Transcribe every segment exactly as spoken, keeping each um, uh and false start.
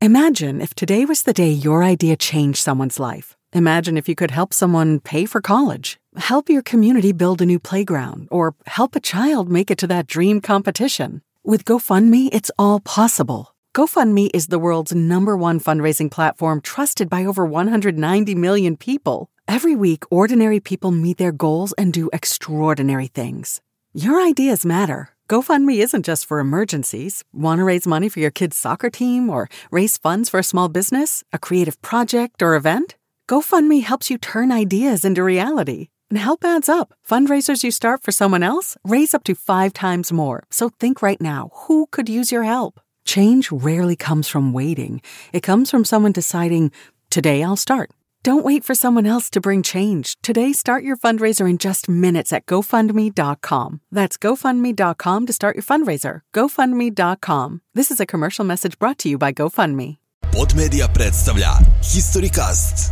Imagine if today was the day your idea changed someone's life. Imagine if you could help someone pay for college, help your community build a new playground, or help a child make it to that dream competition. With GoFundMe, it's all possible. GoFundMe is the world's number one fundraising platform trusted by over one hundred ninety million people. Every week, ordinary people meet their goals and do extraordinary things. Your ideas matter. GoFundMe isn't just for emergencies. Want to raise money for your kid's soccer team or raise funds for a small business, a creative project, or event? GoFundMe helps you turn ideas into reality. And help adds up. Fundraisers you start for someone else raise up to five times more. So think right now, who could use your help? Change rarely comes from waiting. It comes from someone deciding, today I'll start. Don't wait for someone else to bring change. Today, start your fundraiser in just minutes at GoFundMe dot com. That's GoFundMe dot com to start your fundraiser. GoFundMe dot com. This is a commercial message brought to you by GoFundMe. Podmedia predstavlja Historycast.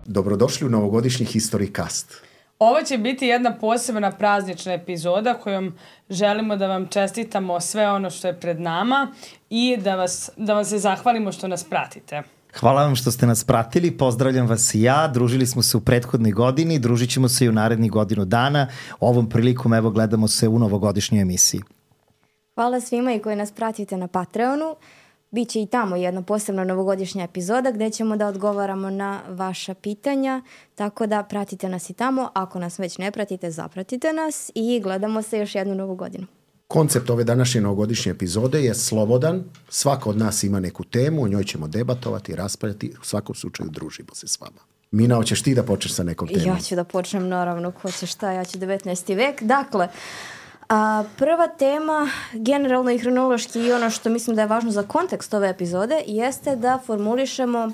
Dobrodošli u novogodišnji Historycast. Ovo će biti jedna posebna praznična epizoda kojom želimo da vam čestitamo sve ono što je pred nama i da, vas, da vam se zahvalimo što nas pratite. Hvala vam što ste nas pratili, pozdravljam vas i ja, družili smo se u prethodnoj godini, družit ćemo se i u narednih godinu dana, ovom prilikom evo gledamo se u novogodišnjoj emisiji. Hvala svima i koji nas pratite na Patreonu, biće i tamo jedna posebna novogodišnja epizoda gde ćemo da odgovaramo na vaša pitanja, tako da pratite nas i tamo, ako nas već ne pratite, zapratite nas i gledamo se još jednu novu godinu. Koncept ove današnje novogodišnje epizode je slobodan, svako od nas ima neku temu, o njoj ćemo debatovati, raspravljati, u svakom slučaju družimo se s vama. Mina, hoćeš ti da počneš sa nekom temom? Ja ću da počnem, naravno, ko će šta, ja ću devetnaesti vek. Dakle, a, prva tema, generalno i hronološki i ono što mislim da je važno za kontekst ove epizode, jeste da formulišemo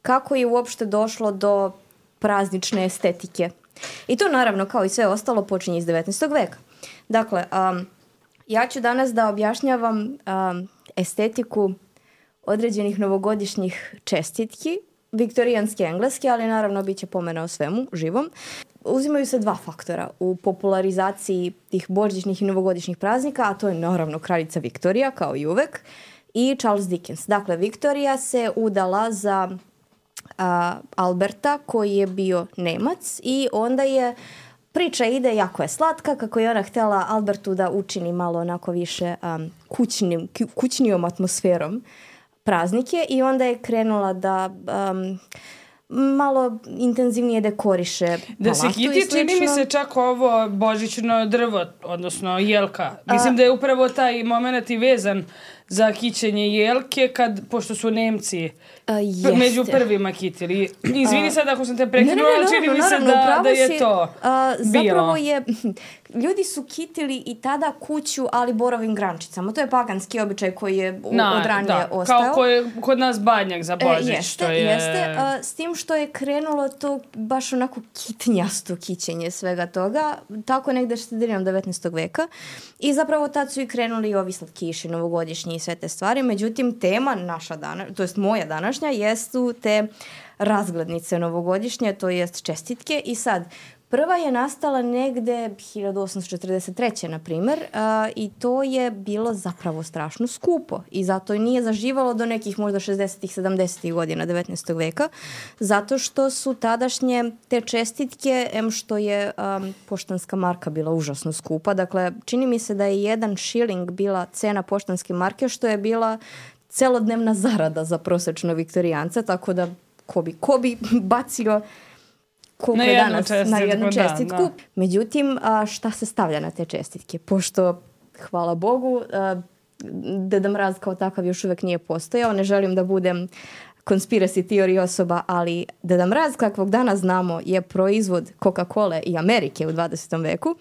kako je uopšte došlo do praznične estetike. I to naravno, kao i sve ostalo, počinje iz devetnaestog veka. Dakle, um, ja ću danas da objašnjavam um, estetiku određenih novogodišnjih čestitki, viktorijanske engleske, ali naravno bit će pomena o svemu, živom. Uzimaju se dva faktora u popularizaciji tih božićnih i novogodišnjih praznika, a to je naravno kraljica Viktorija, kao i uvek, i Charles Dickens. Dakle, Viktorija se udala za uh, Alberta, koji je bio Nemac, i onda je priča ide, jako je slatka, kako je ona htjela Albertu da učini malo onako više um, kućnim, kućnijom atmosferom praznike i onda je krenula da um, malo intenzivnije dekoriše palatu. Da se kiti, čini mi se čak ovo božićno drvo, odnosno jelka. Mislim A, da je upravo taj moment i vezan za kićenje jelke, kad, pošto su Nemci uh, među prvima kitili. Izvini sad ako sam te prekinula, ali čini mi se da, da je to uh, bilo. Zapravo je, ljudi su kitili i tada kuću, ali borovim grančicama. To je paganski običaj koji je Na, od ranije da, ostao. Kao ko je kod nas badnjak za Božić. E, jeste, je... jeste. Uh, s tim što je krenulo to baš onako kitnjasto kićenje svega toga, tako negde sredinom devetnaestog veka. I zapravo tad su i krenuli i ovi slatkiši, novogodišnji i sve te stvari. Međutim, tema naša dana, to jest moja današnja, jesu te razglednice novogodišnje, to jest čestitke. I sad, prva je nastala negde hiljadu osamsto četrdeset treće na primjer, uh, i to je bilo zapravo strašno skupo i zato i nije zaživalo do nekih možda šezdesetih sedamdesetih godina devetnaestog veka, zato što su tadašnje te čestitke, em što je um, poštanska marka bila užasno skupa, dakle čini mi se da je jedan šiling bila cena poštanske marke, što je bila celodnevna zarada za prosečno viktorijanca, tako da ko bi, ko bi bacio koliko na je jednu danas čestitku, na jednu čestitku. Da, da. Međutim, a, šta se stavlja na te čestitke? Pošto, hvala Bogu, a, Deda Mraz kao takav još uvek nije postojao. Ne želim da budem conspiracy theory osoba, ali Deda Mraz, kakvog danas znamo, je proizvod Coca-Cola i Amerike u dvadesetom veku.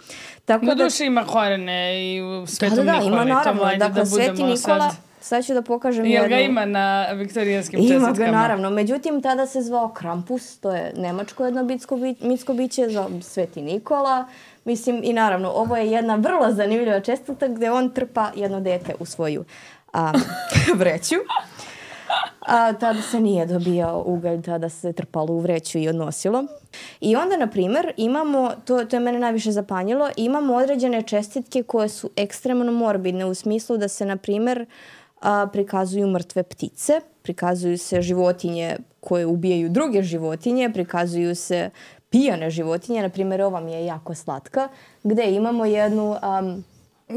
Tako no, da duše ima korene i u Svetom da, da, Nikoli. Ima naravno, Tamo, dakle, da Sveti Nikola, sad... sad ću da pokažem Jel jednu... ga ima na viktorijanskim čestitkama? Ima ga, naravno. Međutim, tada se zvao Krampus, to je nemačko jedno bitsko bi, mitsko biće, za Sveti Nikola. Mislim, i naravno, ovo je jedna vrlo zanimljiva čestitka gde on trpa jedno dete u svoju a, vreću. A, tada se nije dobijao ugalj, tada se trpalo u vreću i odnosilo. I onda, na primjer, imamo, to, to je mene najviše zapanjilo, imamo određene čestitke koje su ekstremno morbidne u smislu da se, na primjer, a, prikazuju mrtve ptice, prikazuju se životinje koje ubijaju druge životinje, prikazuju se pijane životinje, na primjer ova mi je jako slatka, gdje imamo jednu... Um,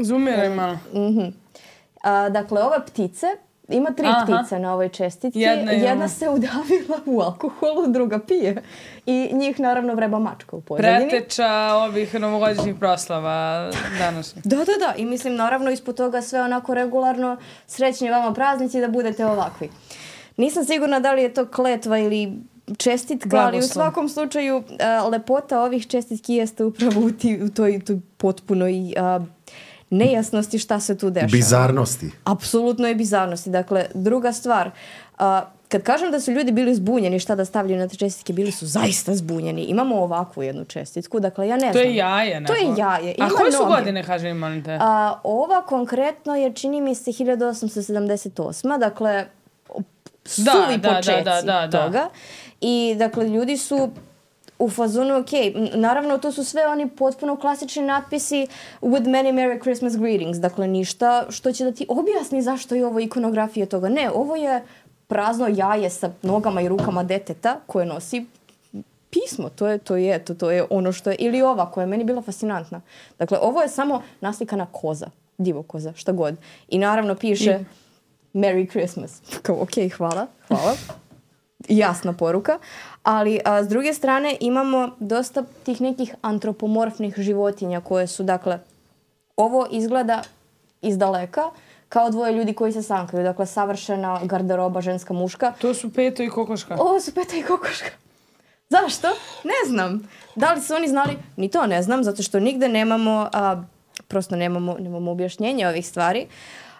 Zumiraj malo. Uh-huh. A, dakle, ove ptice, ima tri Aha. ptice na ovoj čestitki. Jedna, Jedna se udavila u alkoholu, druga pije. I njih naravno vreba mačka u pozadini. Preteča ovih novogodišnjih proslava današnjih. Da, da, da. I mislim, naravno, ispod toga sve onako regularno, srećni vama praznici da budete ovakvi. Nisam sigurna da li je to kletva ili čestitka, Blagoslov. Ali u svakom slučaju a, lepota ovih čestitki jeste upravo u, ti, u toj, toj potpunoj a, nejasnosti šta se tu dešava. Bizarnosti. Apsolutno je bizarnosti. Dakle, druga stvar, a, kad kažem da su ljudi bili zbunjeni šta da stavljaju na te čestitke, bili su zaista zbunjeni. Imamo ovakvu jednu čestitku, dakle ja ne to znam. To je jaje. Neko. To je jaje. Ima A koje su noge. godine, kaže im, molim te? A, ova konkretno je, čini mi se, hiljadu osamsto sedamdeset osma Dakle, suvi da, počeci da, da, da, toga. Da. I, dakle, ljudi su u fazonu, ok, naravno to su sve oni potpuno klasični natpisi with many Merry Christmas greetings. Dakle, ništa što će da ti objasni zašto je ovo ikonografija toga. Ne, ovo je prazno jaje sa nogama i rukama deteta koje nosi pismo. To je, to je, to, to je ono što je, ili ova koja je meni bila fascinantna. Dakle, ovo je samo naslikana koza, divokoza, šta god. I naravno piše I... Merry Christmas. Kao, ok, hvala, hvala. Jasna poruka. Ali a, s druge strane imamo dosta tih nekih antropomorfnih životinja koje su, dakle, ovo izgleda iz daleka kao dvoje ljudi koji se sankaju. Dakle, savršena garderoba ženska muška. To su Peto i Kokoška. Ovo su Peto i Kokoška. Zašto? Ne znam. Da li su oni znali? Ni to ne znam, zato što nigde nemamo, a, prosto nemamo, nemamo objašnjenje ovih stvari.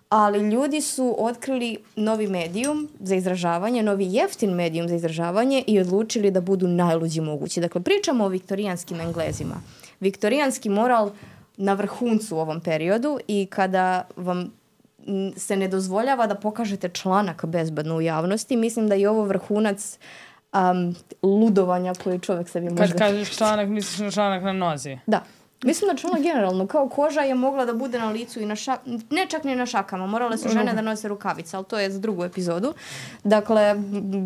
Ali ljudi su otkrili novi medijum za izražavanje, novi jeftin medijum za izražavanje i odlučili da budu najluđi mogući. Dakle, pričamo o viktorijanskim Englezima. Viktorijanski moral na vrhuncu u ovom periodu i kada vam se ne dozvoljava da pokažete članak bezbedno u javnosti, mislim da je ovo vrhunac um, ludovanja koji čovjek sebi može... Kad kažeš članak, misliš na članak na nozi? Da. Mislim da članak generalno, kao koža je mogla da bude na licu i na šakama, ne čak ni na šakama, morale su žene da nose rukavice, ali to je za drugu epizodu. Dakle,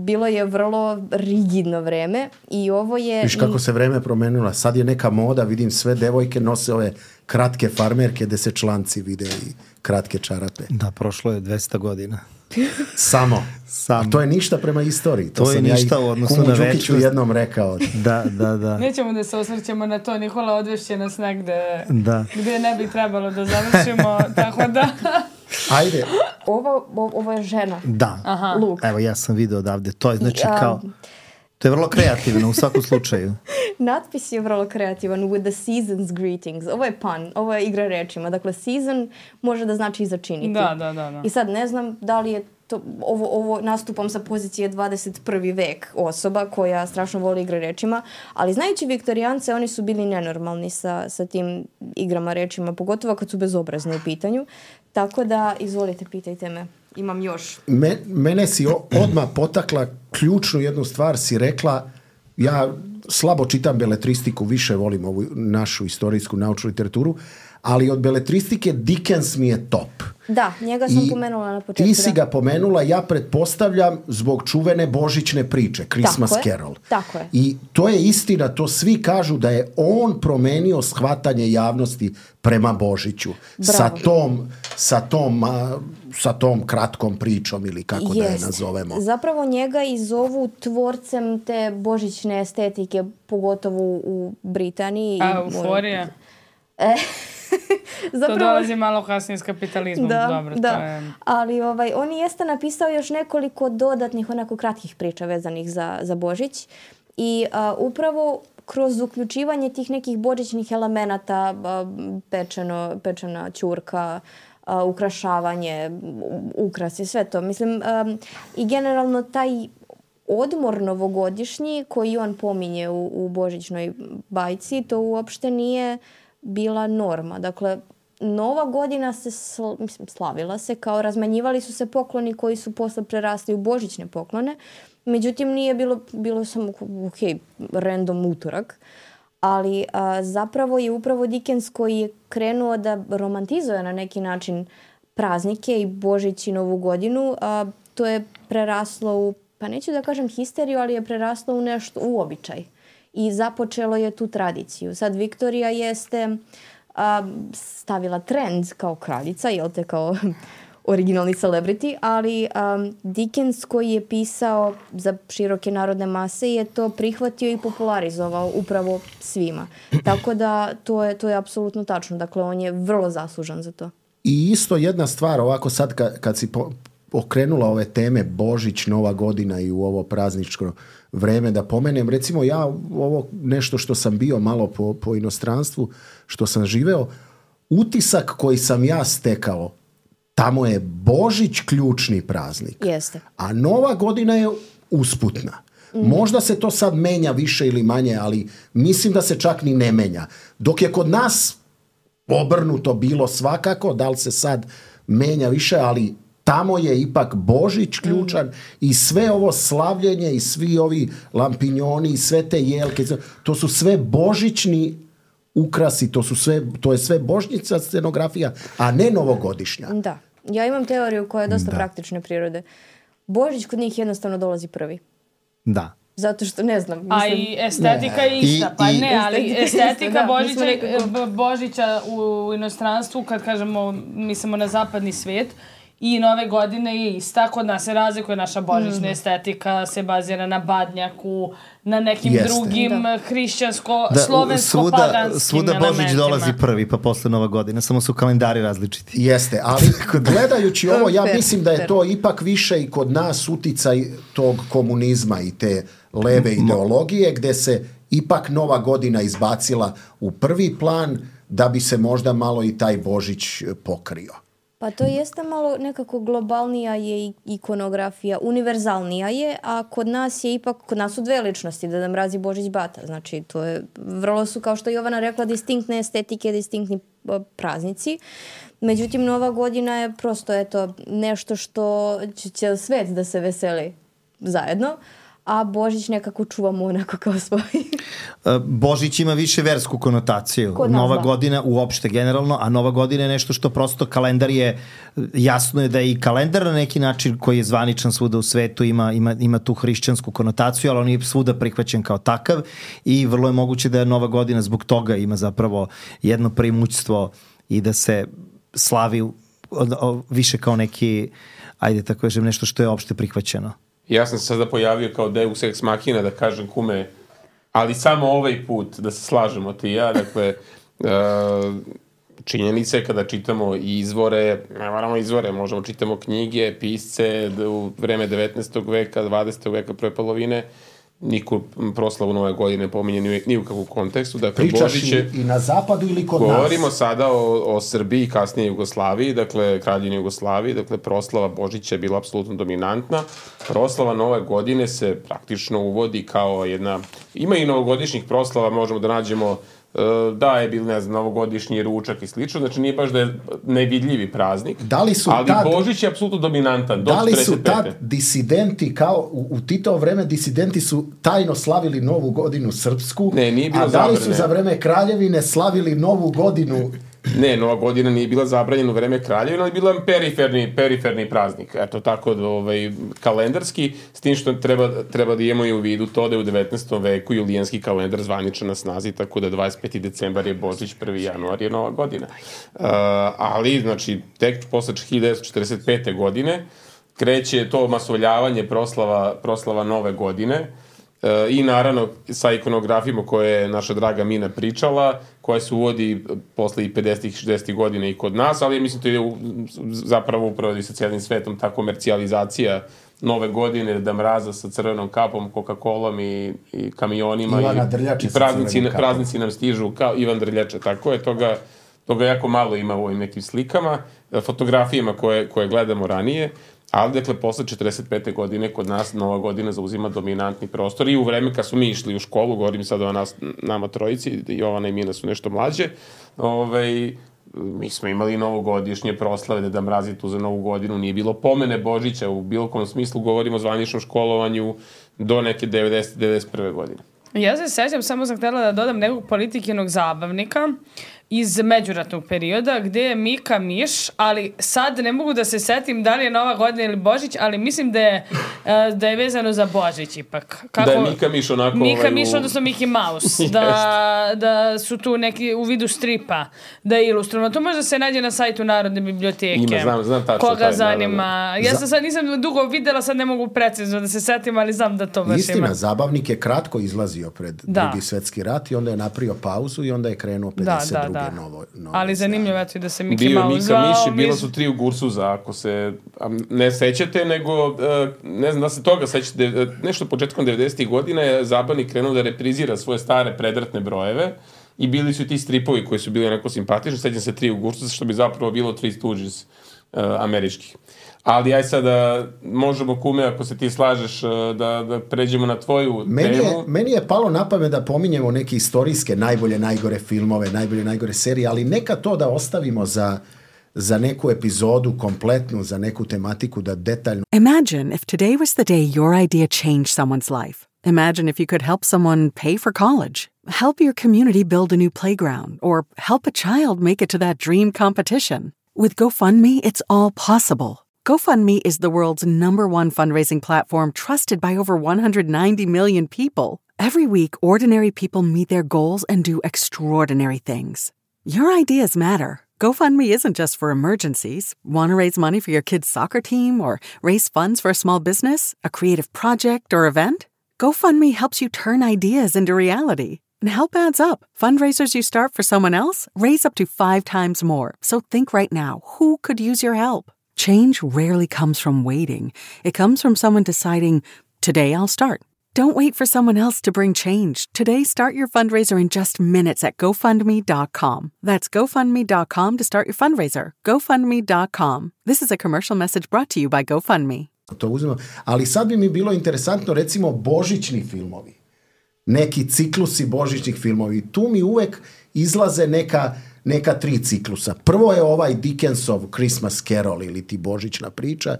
bilo je vrlo rigidno vreme i ovo je... Viš kako se vreme promenilo, sad je neka moda, vidim sve devojke nose ove kratke farmerke gde se članci vide i kratke čarape. Da, prošlo je dvesta godina. Samo. Samo. A to je ništa prema istoriji. To, to je ništa ja u odnosu na večnost. jednom rekao. Da, da, da. Nećemo da se osvrćemo na to. Nikola odvešće nas negde da. Gde ne bi trebalo da završimo. Tako da... Ajde. Ovo, ovo je žena. Da. Aha. Luk. Evo, ja sam vidio odavde. To je znači I, um, kao... To je vrlo kreativno u svakom slučaju. Natpis je vrlo kreativan. With the season's greetings. Ovo je pun. Ovo je igra rečima. Dakle, season može da znači i začiniti. Da, da, da, da. I sad ne znam da li je to... Ovo, ovo nastupam sa pozicije dvadeset prvi vek osoba koja strašno voli igre rečima. Ali znajući Viktorijance, oni su bili nenormalni sa, sa tim igrama rečima. Pogotovo kad su bezobrazni u pitanju. Tako da, izvolite, pitajte me. Imam još. Me, mene si odmah potakla ključnu jednu stvar, si rekla, ja slabo čitam beletristiku, više volim ovu našu istorijsku naučnu literaturu, ali od beletristike Dickens mi je top. Da, njega sam I pomenula na početku. Ti si ga pomenula, ja pretpostavljam, zbog čuvene božićne priče, Christmas tako Carol. Je, tako je. I to je istina, to svi kažu da je on promenio shvatanje javnosti prema Božiću. Bravo. Sa tom, sa tom, sa tom kratkom pričom ili kako Jest. da je nazovemo. Zapravo njega i zovu tvorcem te božićne estetike, pogotovo u Britaniji. A, euforija. E, zapravo, to dolazi malo kasnije s kapitalizmom. Da, Dobro, da. To je... Ali ovaj, on jeste napisao još nekoliko dodatnih onako kratkih priča vezanih za, za Božić i a, upravo kroz uključivanje tih nekih božićnih elemenata, a, pečeno, pečena ćurka, a, ukrašavanje, ukrasi, sve to. Mislim, a, i generalno taj odmor novogodišnji koji on pominje u, u božićnoj bajci, to uopšte nije bila norma. Dakle, Nova godina se sl, mislim, slavila se kao razmenjivali su se pokloni koji su posle prerasli u božićne poklone. Međutim, nije bilo, bilo samo ok, random utorak. Ali a, zapravo je upravo Dickens koji je krenuo da romantizuje na neki način praznike i Božić i Novu godinu, a, to je preraslo u, pa neću da kažem histeriju, ali je preraslo u nešto, u običaj. I započelo je tu tradiciju. Sad Viktorija jeste a, stavila trend kao kraljica, jel te, kao originalni celebrity, ali um, Dickens koji je pisao za široke narodne mase je to prihvatio i popularizovao upravo svima. Tako da to je, to je apsolutno tačno. Dakle, on je vrlo zaslužan za to. I isto jedna stvar, ovako sad kad, kad si po, okrenula ove teme Božić, Nova godina i u ovo prazničko vreme, da pomenem, recimo ja ovo nešto što sam bio malo po, po inostranstvu, što sam živeo, utisak koji sam ja stekao, tamo je Božić ključni praznik. Jeste. A Nova godina je usputna. Mm. Možda se to sad menja više ili manje, ali mislim da se čak ni ne menja. Dok je kod nas obrnuto bilo svakako, da li se sad menja više, ali tamo je ipak Božić ključan mm. i sve ovo slavljenje i svi ovi lampinjoni i sve te jelke, to su sve božićni ukrasi, to su sve, to je sve božnica scenografija, a ne novogodišnja. Da. Ja imam teoriju koja je dosta da. praktične prirode. Božić kod njih jednostavno dolazi prvi. Da. Zato što ne znam. Mislim, a i estetika je ista. Pa I, ne, ali estetika da, Božića, nekako... Božića u inostranstvu, kad kažemo, mislimo na zapadni svijet, i Nove godine je ista. Kod nas se razlikuje naša božićna mm. estetika, se bazira na badnjaku, na nekim Jeste. drugim da. hrišćansko-slovensko-paganskim svuda elementima. Božić dolazi prvi, pa posle Nova godina. Samo su kalendari različiti. Jeste, ali gledajući ovo, ja mislim da je to ipak više i kod nas uticaj tog komunizma i te leve ideologije, gde se ipak Nova godina izbacila u prvi plan, da bi se možda malo i taj Božić pokrio. Pa to jeste malo nekako globalnija je ikonografija, univerzalnija je, a kod nas je ipak, kod nas su dve ličnosti, Deda Mraz i Božić Bata. Znači, to je, vrlo su, kao što je Jovana rekla, distinktne estetike, distinktni praznici. Međutim, Nova godina je prosto, eto, nešto što će, će svet da se veseli zajedno, a Božić nekako čuvamo onako kao svoj. Božić ima više versku konotaciju. Nova da. godina uopšte generalno, a Nova godina je nešto što prosto kalendar je, jasno je da je i kalendar na neki način koji je zvaničan svuda u svetu, ima, ima, ima tu hrišćansku konotaciju, ali on je svuda prihvaćen kao takav i vrlo je moguće da je Nova godina zbog toga ima zapravo jedno preimućstvo i da se slavi o, o, više kao neki, ajde tako kažem, nešto što je opšte prihvaćeno. Ja sam se sada pojavio kao Deus ex machina da kažem kume, ali samo ovaj put da se slažemo ti i ja, dakle, uh, činjenica je kada čitamo izvore, ne moramo izvore, možemo čitamo knjige, pisce u vreme devetnaestog veka, dvadesetog veka prve polovine, niko proslavu Nove godine pominje ni, ni u kakvom kontekstu. Dakle, pričaš Božiće, i, i na zapadu ili kod govorimo nas? Govorimo sada o, o Srbiji, kasnije Jugoslaviji, dakle, kraljevini Jugoslaviji, dakle, proslava Božića je bila apsolutno dominantna. Proslava Nove godine se praktično uvodi kao jedna... Ima i novogodišnjih proslava, možemo da nađemo da je bil, ne znam, novogodišnji ručak i slično, znači nije baš da je nevidljivi praznik, da li su ali tad, Božić je apsolutno dominantan. Da li su tad disidenti, kao u, u Titovo vreme, disidenti su tajno slavili Novu godinu srpsku, ne, nije bilo a da li zabrane. su za vreme kraljevine slavili Novu godinu? Ne, Nova godina nije bila zabranjena u vreme kraljevine, ali bila periferni, periferni praznik. Eto, tako da, ovaj, kalendarski, s tim što treba, treba da imamo i u vidu to da je u devetnaestom veku julijanski kalendar zvaničan na snazi, tako da dvadeset peti decembar je Božić, prvi januar je Nova godina. Uh, ali, znači, tek posle hiljadu devetsto četrdeset pete godine kreće to masovljavanje proslava, proslava Nove godine, i naravno sa ikonografijama koje je naša draga Mina pričala, koja se uvodi posle i pedesetih i šezdesetih godina i kod nas, ali mislim to je zapravo upravo i sa cijelim svetom ta komercijalizacija Nove godine, Deda Mraza sa crvenom kapom, Coca-Colom i, i kamionima Ivana i, Drljača i praznici, praznici nam stižu kao Ivan Drljača, tako je, toga, toga jako malo ima u ovim nekim slikama, fotografijama koje, koje gledamo ranije. Ali, dakle, posle četrdeset pete godine kod nas Nova godina zauzima dominantni prostor i u vreme kad smo mi išli u školu, govorim sada o nas, nama trojici, Jovana i Mina su nešto mlađe, ovaj, mi smo imali novogodišnje proslave, Deda Mraz je tu za Novu godinu, nije bilo pomene Božića, u bilo kom smislu govorimo o zvaničnom školovanju do neke devedesete, devedeset prve godine. Ja se sećam, samo sam htjela da dodam nekog politikinog zabavnika iz međuratnog perioda gdje je Mika Miš, ali sad ne mogu da se setim da li je Nova godina ili Božić, ali mislim da je, da je vezano za Božić ipak. Kako? Da je Mika Miš onako... Mika ovaj, Miš, u... odnosno Mickey Mouse. da, da su tu neki u vidu stripa, da je ilustrovano. To možda se nađe na sajtu Narodne biblioteke. Ima, znam, znam tačno. Koga taj, zanima. Da, da. Ja sam sad nisam dugo videla, sad ne mogu precizno da se setim, ali znam da to baš Istina, ima. Zabavnik je kratko izlazio pred da. drugi svjetski rat i onda je napravio pauzu i onda je krenuo pedeset druge Da, da, da. novo, novo ali zanimljivo je da se Mickey Bio Mouse Mika zvao. Miš i bilo su tri u Gursuza, ako se ne sećate, nego ne znam da se toga sećate, nešto početkom devedesetih godina je Zabavnik krenuo da reprizira svoje stare predratne brojeve i bili su ti stripovi koji su bili onako simpatični, sećam se tri u Gursuza, što bi zapravo bilo Three Stooges uh, američkih. Ali aj sada možemo, Kume, ako se ti slažeš, da, da pređemo na tvoju meni temu. Je, meni je palo na pamet da pominjemo neke istorijske najbolje, najgore filmove, najbolje, najgore serije, ali neka to da ostavimo za, za neku epizodu kompletnu, za neku tematiku da detaljno... Imagine if today was the day your idea changed someone's life. Imagine if you could help someone pay for college, help your community build a new playground, or help a child make it to that dream competition. With GoFundMe, it's all possible. GoFundMe is the world's number one fundraising platform trusted by over one hundred ninety million people. Every week, ordinary people meet their goals and do extraordinary things. Your ideas matter. GoFundMe isn't just for emergencies. Want to raise money for your kid's soccer team or raise funds for a small business, a creative project, or event? GoFundMe helps you turn ideas into reality. And help adds up. Fundraisers you start for someone else raise up to five times more. So think right now, who could use your help? Change rarely comes from waiting. It comes from someone deciding, today I'll start. Don't wait for someone else to bring change. Today, start your fundraiser in just minutes at GoFundMe dot com. That's GoFundMe dot com to start your fundraiser. GoFundMe dot com. This is a commercial message brought to you by GoFundMe. To uzmemo. Ali sad bi mi bilo interesantno, recimo, božićni filmovi. Neki ciklusi božićnih filmovi. Tu mi uvek izlaze neka... neka tri ciklusa. Prvo je ovaj Dickensov Christmas Carol ili ti božićna priča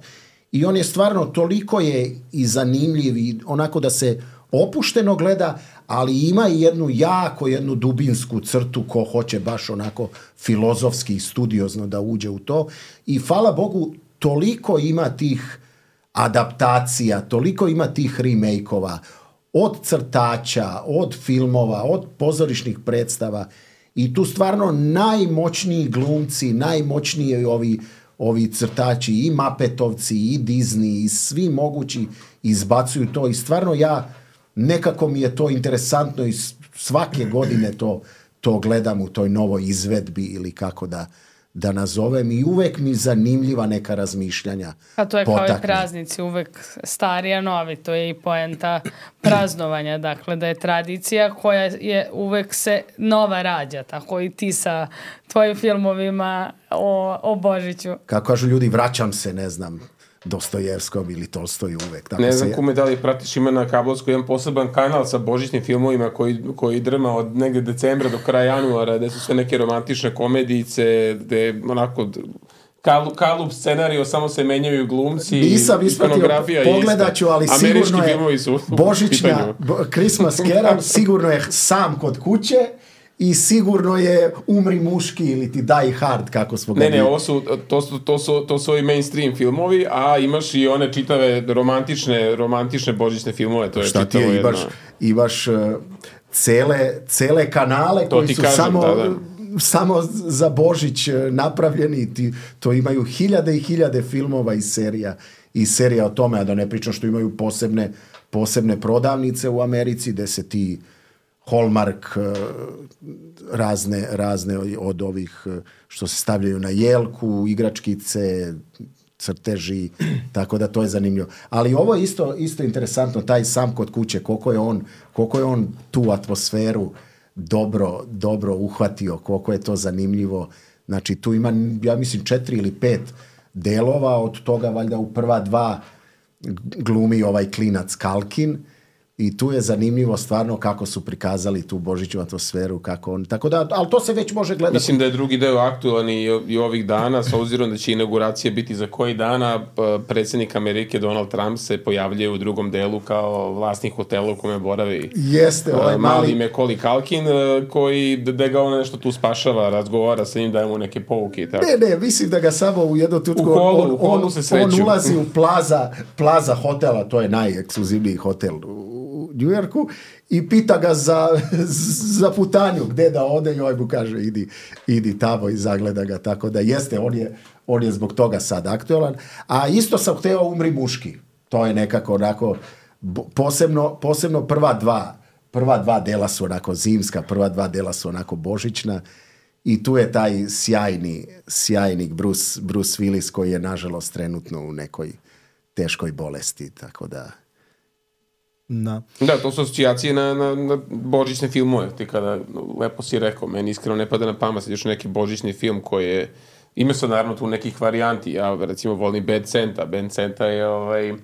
i on je stvarno toliko je i zanimljiv i onako da se opušteno gleda, ali ima i jednu jako, jednu dubinsku crtu ko hoće baš onako filozofski i studiozno da uđe u to i hvala Bogu toliko ima tih adaptacija, toliko ima tih remake-ova od crtača, od filmova, od pozorišnih predstava. I tu stvarno najmoćniji glumci, najmoćniji ovi, ovi crtači, i Mapetovci, i Disney, i svi mogući izbacuju to. I stvarno ja, nekako mi je to interesantno i svake godine to, to gledam u toj novoj izvedbi ili kako da, da nazovem. I uvek mi zanimljiva neka razmišljanja. A to je potakne. Kao i praznici, uvek stari a novi. To je i poenta praznovanja. Dakle, da je tradicija koja je uvek se nova rađa. Tako i ti sa tvojim filmovima o, o Božiću. Kako kažu ljudi, vraćam se, ne znam, Dostojevskom ili Tolstoju uvek. Tako ne znam se... Kume, da li pratiš, ima na kablovsku jedan poseban kanal sa božićnim filmovima koji, koji drma od negde decembra do kraja januara, gde su sve neke romantične komedijice, gde onako kalup, kalup scenario, samo se menjaju glumci. Nisam ispratio, pogledat ću, ali sigurno je božićna Christmas Carol, sigurno je sam kod kuće. I sigurno je Umri muški ili ti Die Hard, kako smo ga... Ne, ne, ovo su, to su, to su, to su ovi mainstream filmovi, a imaš i one čitave romantične, romantične božićne filmove. To je šta ti je, imaš, imaš uh, cele, cele kanale to koji su kažem, samo... Da, da. samo za Božić napravljeni, ti, to imaju hiljade i hiljade filmova i serija, i serija o tome, a da ne pričam što imaju posebne, posebne prodavnice u Americi, gde se ti Hallmark razne, razne od ovih što se stavljaju na jelku, igračkice, crteži, tako da to je zanimljivo. Ali ovo je isto, isto interesantno, taj sam kod kuće, koliko je on, koliko je on tu atmosferu dobro, dobro uhvatio, koliko je to zanimljivo. Znači tu ima, ja mislim, četiri ili pet delova, od toga valjda u prva dva glumi ovaj klinac Kalkin I tu je zanimljivo stvarno kako su prikazali tu božićnu atmosferu, kako on, tako da, ali to se već može gledati. Mislim da je drugi deo aktualan i, i ovih dana, s obzirom da će inauguracija biti za koji dana, predsjednik Amerike Donald Trump se pojavljuje u drugom delu kao vlasnik hotela u kome boravi. Jeste, ovaj mali Macaulay Culkin, koji, da ga on nešto tu spašava, razgovara sa njim, daje mu neke pouke i tako. Ne, ne, mislim da ga samo u jednom tutku, u kolu, on, u kolu on, se sreću. On ulazi u plaza, plaza hotela, to je najekskluzivniji hotel u New Yorku, i pita ga za, za putanju, gde da ode, i ovaj mu kaže idi, idi tamo i zagleda ga, tako da jeste, on je, on je zbog toga sad aktualan. A isto sam hteo Umri muški, to je nekako onako, posebno, posebno prva dva, prva dva dela su onako zimska, prva dva dela su onako božićna, i tu je taj sjajni, sjajni Bruce, Bruce Willis, koji je nažalost trenutno u nekoj teškoj bolesti, tako da... Da. Da, to su asocijacije na, na, na božićne filmove. Ti kada, lepo si rekao, meni iskreno ne pada na pamet, još neki božićni film koji je, ima se naravno tu nekih varijanti. Ja recimo volim Bad Santa. Bad Santa je ovaj, uh,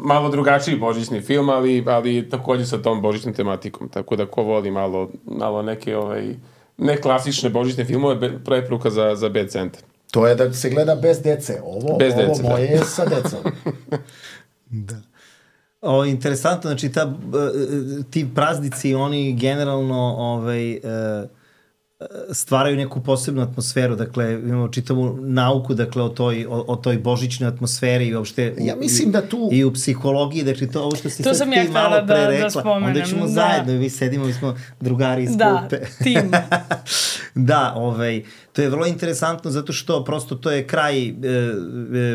malo drugačiji božićni film, ali, ali također sa tom božićnom tematikom. Tako da ko voli malo, malo neke ovaj, neklasične božićne filmove, preporuka za, za Bad Santa. To je da se gleda bez dece. Ovo, bez ovo dece, moje je sa decom. Da. O, interesantno, znači ta, ti praznici, oni generalno ovaj, stvaraju neku posebnu atmosferu, dakle imamo čitavu nauku, dakle o toj, o, o toj božićnoj atmosferi i uopšte ja mislim da tu... i u psihologiji, dakle to ovo što si to sad ti malo pre da, rekla, da spomenem, onda ćemo da. zajedno, vi sedimo, mi smo drugari iz da, klupe. tim. Da, ovaj, to je vrlo interesantno zato što prosto to je kraj e, e,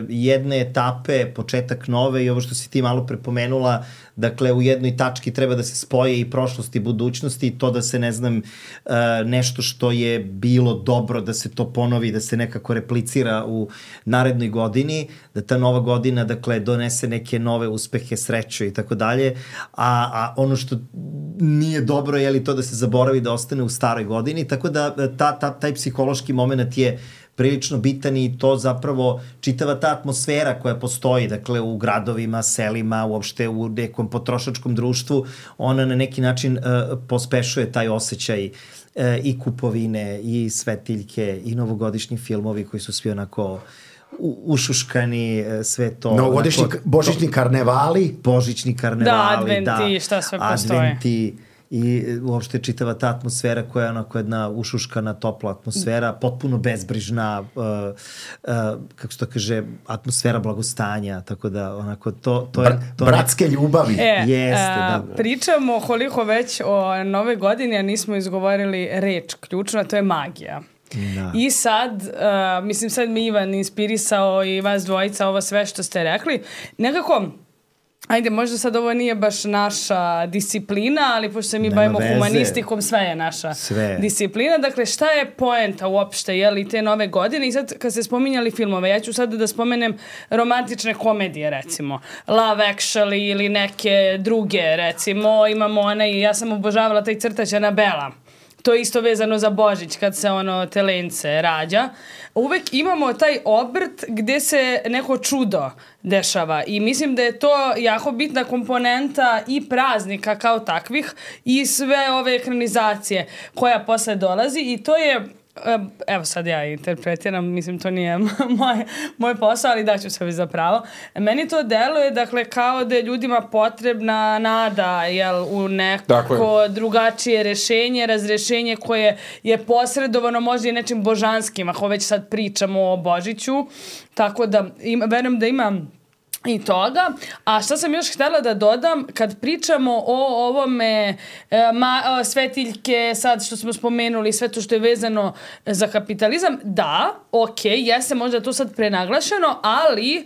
jedne etape, početak nove, i ovo što si ti malo prepomenula, dakle u jednoj tački treba da se spoje i prošlost i budućnost, i to da se, ne znam, e, nešto što je bilo dobro, da se to ponovi, da se nekako replicira u narednoj godini, da ta nova godina, dakle, donese neke nove uspehe, sreću i tako dalje, a, a ono što nije dobro je li to da se zaboravi, da ostane u staroj godini, tako da ta, ta, taj psihološki moment je prilično bitan, i to zapravo čitava ta atmosfera koja postoji, dakle u gradovima, selima, uopšte u nekom potrošačkom društvu, ona na neki način uh, pospešuje taj osjećaj uh, i kupovine, i svetiljke, i novogodišnji filmovi koji su svi onako u, ušuškani, sve to. Novogodišnji, božićni karnevali. Božićni karnevali, da. Adventi, da, šta sve postoje. Adventi, i uopšte čitava ta atmosfera koja je onako jedna ušuškana, topla atmosfera, potpuno bezbrižna, uh, uh, kako se to kaže, atmosfera blagostanja, tako da onako to... to, je, to bratske nek... ljubavi. E, Jeste, a, da. Pričamo koliko već o nove godine, a nismo izgovorili reč ključna, to je magija. Da. I sad, uh, mislim sad mi Ivan inspirisao i vas dvojica ovo sve što ste rekli, nekako... Ajde, možda sad ovo nije baš naša disciplina, ali pošto se mi Nema bavimo veze. humanistikom, sve je naša sve. disciplina. Dakle, šta je poenta uopšte, je li, te nove godine? I sad, kad ste spominjali filmove, ja ću sad da spomenem romantične komedije, recimo. Love Actually ili neke druge, recimo. Imamo onaj, ja sam obožavala taj crtač Anabela. To je isto vezano za Božić, kad se ono telence rađa. Uvek imamo taj obrt gde se neko čudo dešava i mislim da je to jako bitna komponenta i praznika kao takvih i sve ove ekranizacije koja posle dolazi, i to je, evo sad ja interpretiram, mislim to nije moj, moj posao, ali daću sebi za pravo. Meni to deluje, dakle, kao da je ljudima potrebna nada, jel, u neko drugačije rešenje, razrešenje koje je posredovano možda i nečim božanskim, ako već sad pričamo o Božiću, tako da im, verujem da imam i toga. A šta sam još htjela da dodam, kad pričamo o ovome e, ma, o, svetiljke, sad što smo spomenuli, sve to što je vezano za kapitalizam, da, ok, jeste možda to sad prenaglašeno, ali e,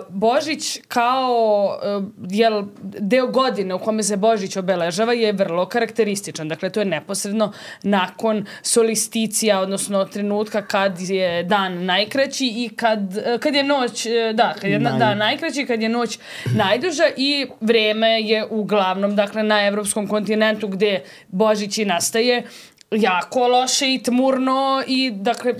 Božić kao e, jel, deo godine u kome se Božić obeležava je vrlo karakterističan. Dakle, to je neposredno nakon solisticija, odnosno trenutka kad je dan najkraći i kad, kad je noć, da, kad je Naj... dan najkraći, kad je noć najduža, i vreme je uglavnom, dakle, na evropskom kontinentu gde Božić i nastaje jako loše i tmurno i dakle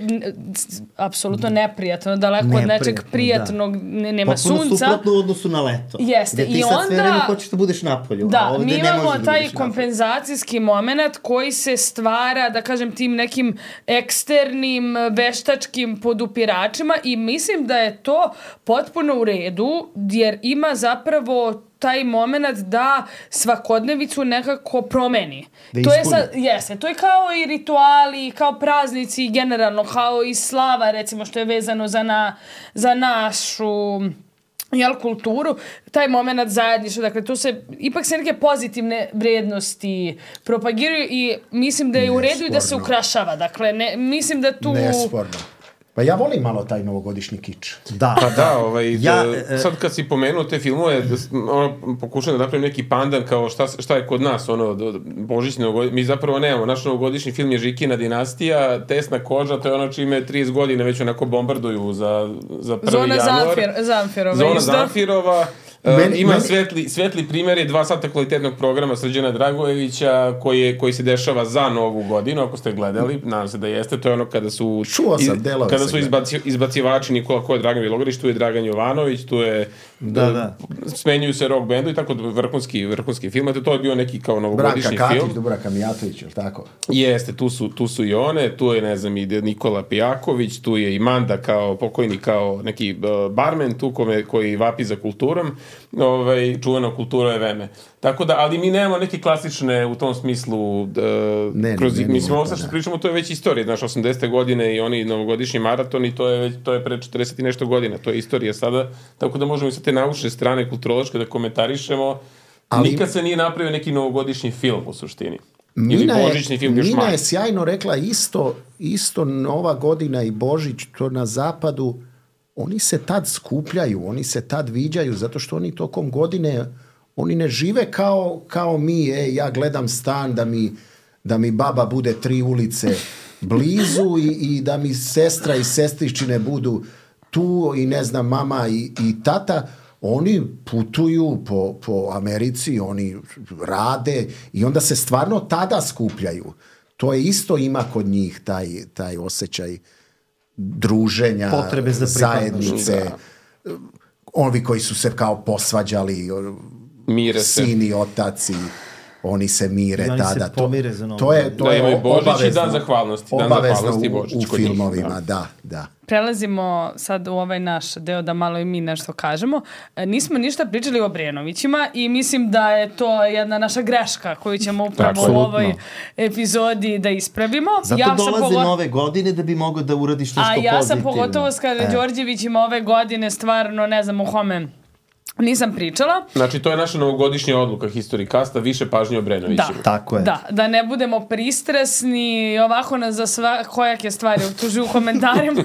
apsolutno neprijatno, daleko neprijatno, od nečeg prijatnog, da. Nema potpuno sunca. Potpuno suprotno u odnosu na leto. Jeste. Gde ti I sad onda, sve vreme hoćeš da budeš napolju. Da, a ovde mi imamo ne taj da kompenzacijski moment koji se stvara, da kažem, tim nekim eksternim veštačkim podupiračima i mislim da je to potpuno u redu, jer ima zapravo taj moment da svakodnevicu nekako promeni. Da to je sad, jeste, to je kao i rituali, kao praznici, generalno, kao i slava, recimo, što je vezano za, na, za našu jel, kulturu, taj moment zajedništva, dakle, tu se, ipak se neke pozitivne vrednosti propagiraju i mislim da je u redu i da se ukrašava, dakle, ne, mislim da tu... Nesporno. Pa ja volim malo taj novogodišnji kič. Da. Pa da, ovaj, ja, da, sad kad si pomenuo te filmove, da, ono, pokušam da napravim neki pandan kao šta, šta je kod nas, ono, božićni novogodišnji, mi zapravo nemamo, naš novogodišnji film je Žikina dinastija, Tesna koža, to je ono čime trideset godina već onako bombarduju za, za prvi Zona januar. Zamfir, Zamfirova. Zona Zamfirova. Meni, ima meni... svetli, svetli primjer je dva sata kvalitetnog programa Srđana Dragojevića koji, je, koji se dešava za Novu godinu, ako ste gledali, nadam se da jeste, to je ono kada su, iz, kada su izbaci, izbacivači Nikola Ko je Dragan Vilogorić, tu je Dragan Jovanović, tu je da, da. smenjuju se rock bandu i tako vrhunski, vrhunski film, to je bio neki kao novogodišnji Branka film. Katić, Dubravka Mijatović, ili tako? Jeste, tu su, tu su i one, tu je, ne znam, i Nikola Pijaković, tu je i Manda kao pokojni, kao neki uh, barmen tu kome, koji vapi za kulturom, ovaj, čuvena kultura je vreme. Tako da, ali mi nemamo neke klasične u tom smislu, uh, ne, kroz, ne, ne, mislim, ovo ne, što pričamo, to je već istorija, znaš, osamdesete godine i oni novogodišnji maraton i to je, već, to je pre četrdeset i nešto godina, to je istorija sada, tako da možemo i sa te naučne strane kulturološke da komentarišemo, ali nikad se nije napravio neki novogodišnji film u suštini. Mina je, film Mina je sjajno rekla isto, isto Nova godina i Božić, to na zapadu, oni se tad skupljaju, oni se tad viđaju, zato što oni tokom godine, oni ne žive kao, kao mi, e, ja gledam stan da mi, da mi baba bude tri ulice blizu i, i da mi sestra i sestričine budu tu i ne znam, mama i, i tata. Oni putuju po, po Americi, oni rade i onda se stvarno tada skupljaju. To je isto ima kod njih taj, taj osjećaj druženja, potrebe za zajednice. Da. Ovi koji su se kao posvađali, mire sin i otac i oni se mire I oni tada. se pomire za Novu to je, to da, je Božić i dan zahvalnosti. Dan zahvalnosti u, Božić, u filmovima, njih, da. da, da. Prelazimo sad u ovaj naš deo da malo i mi nešto kažemo. Nismo ništa pričali o Obrenovićima i mislim da je to jedna naša greška koju ćemo upravo u ovoj epizodi da ispravimo. Zato ja dolaze pogo... nove godine da bi mogao da uradiš nešto pozitivno. A ja sam pogotovo s kada e. Đorđevićima ove godine stvarno ne znam u kome nisam pričala. Znači, to je naša novogodišnja odluka Historikasta, više pažnje o Obrenovićima. Da, tako je. Da, da ne budemo pristresni, ovako nas za sva, kojake stvari optužuju u komentarima.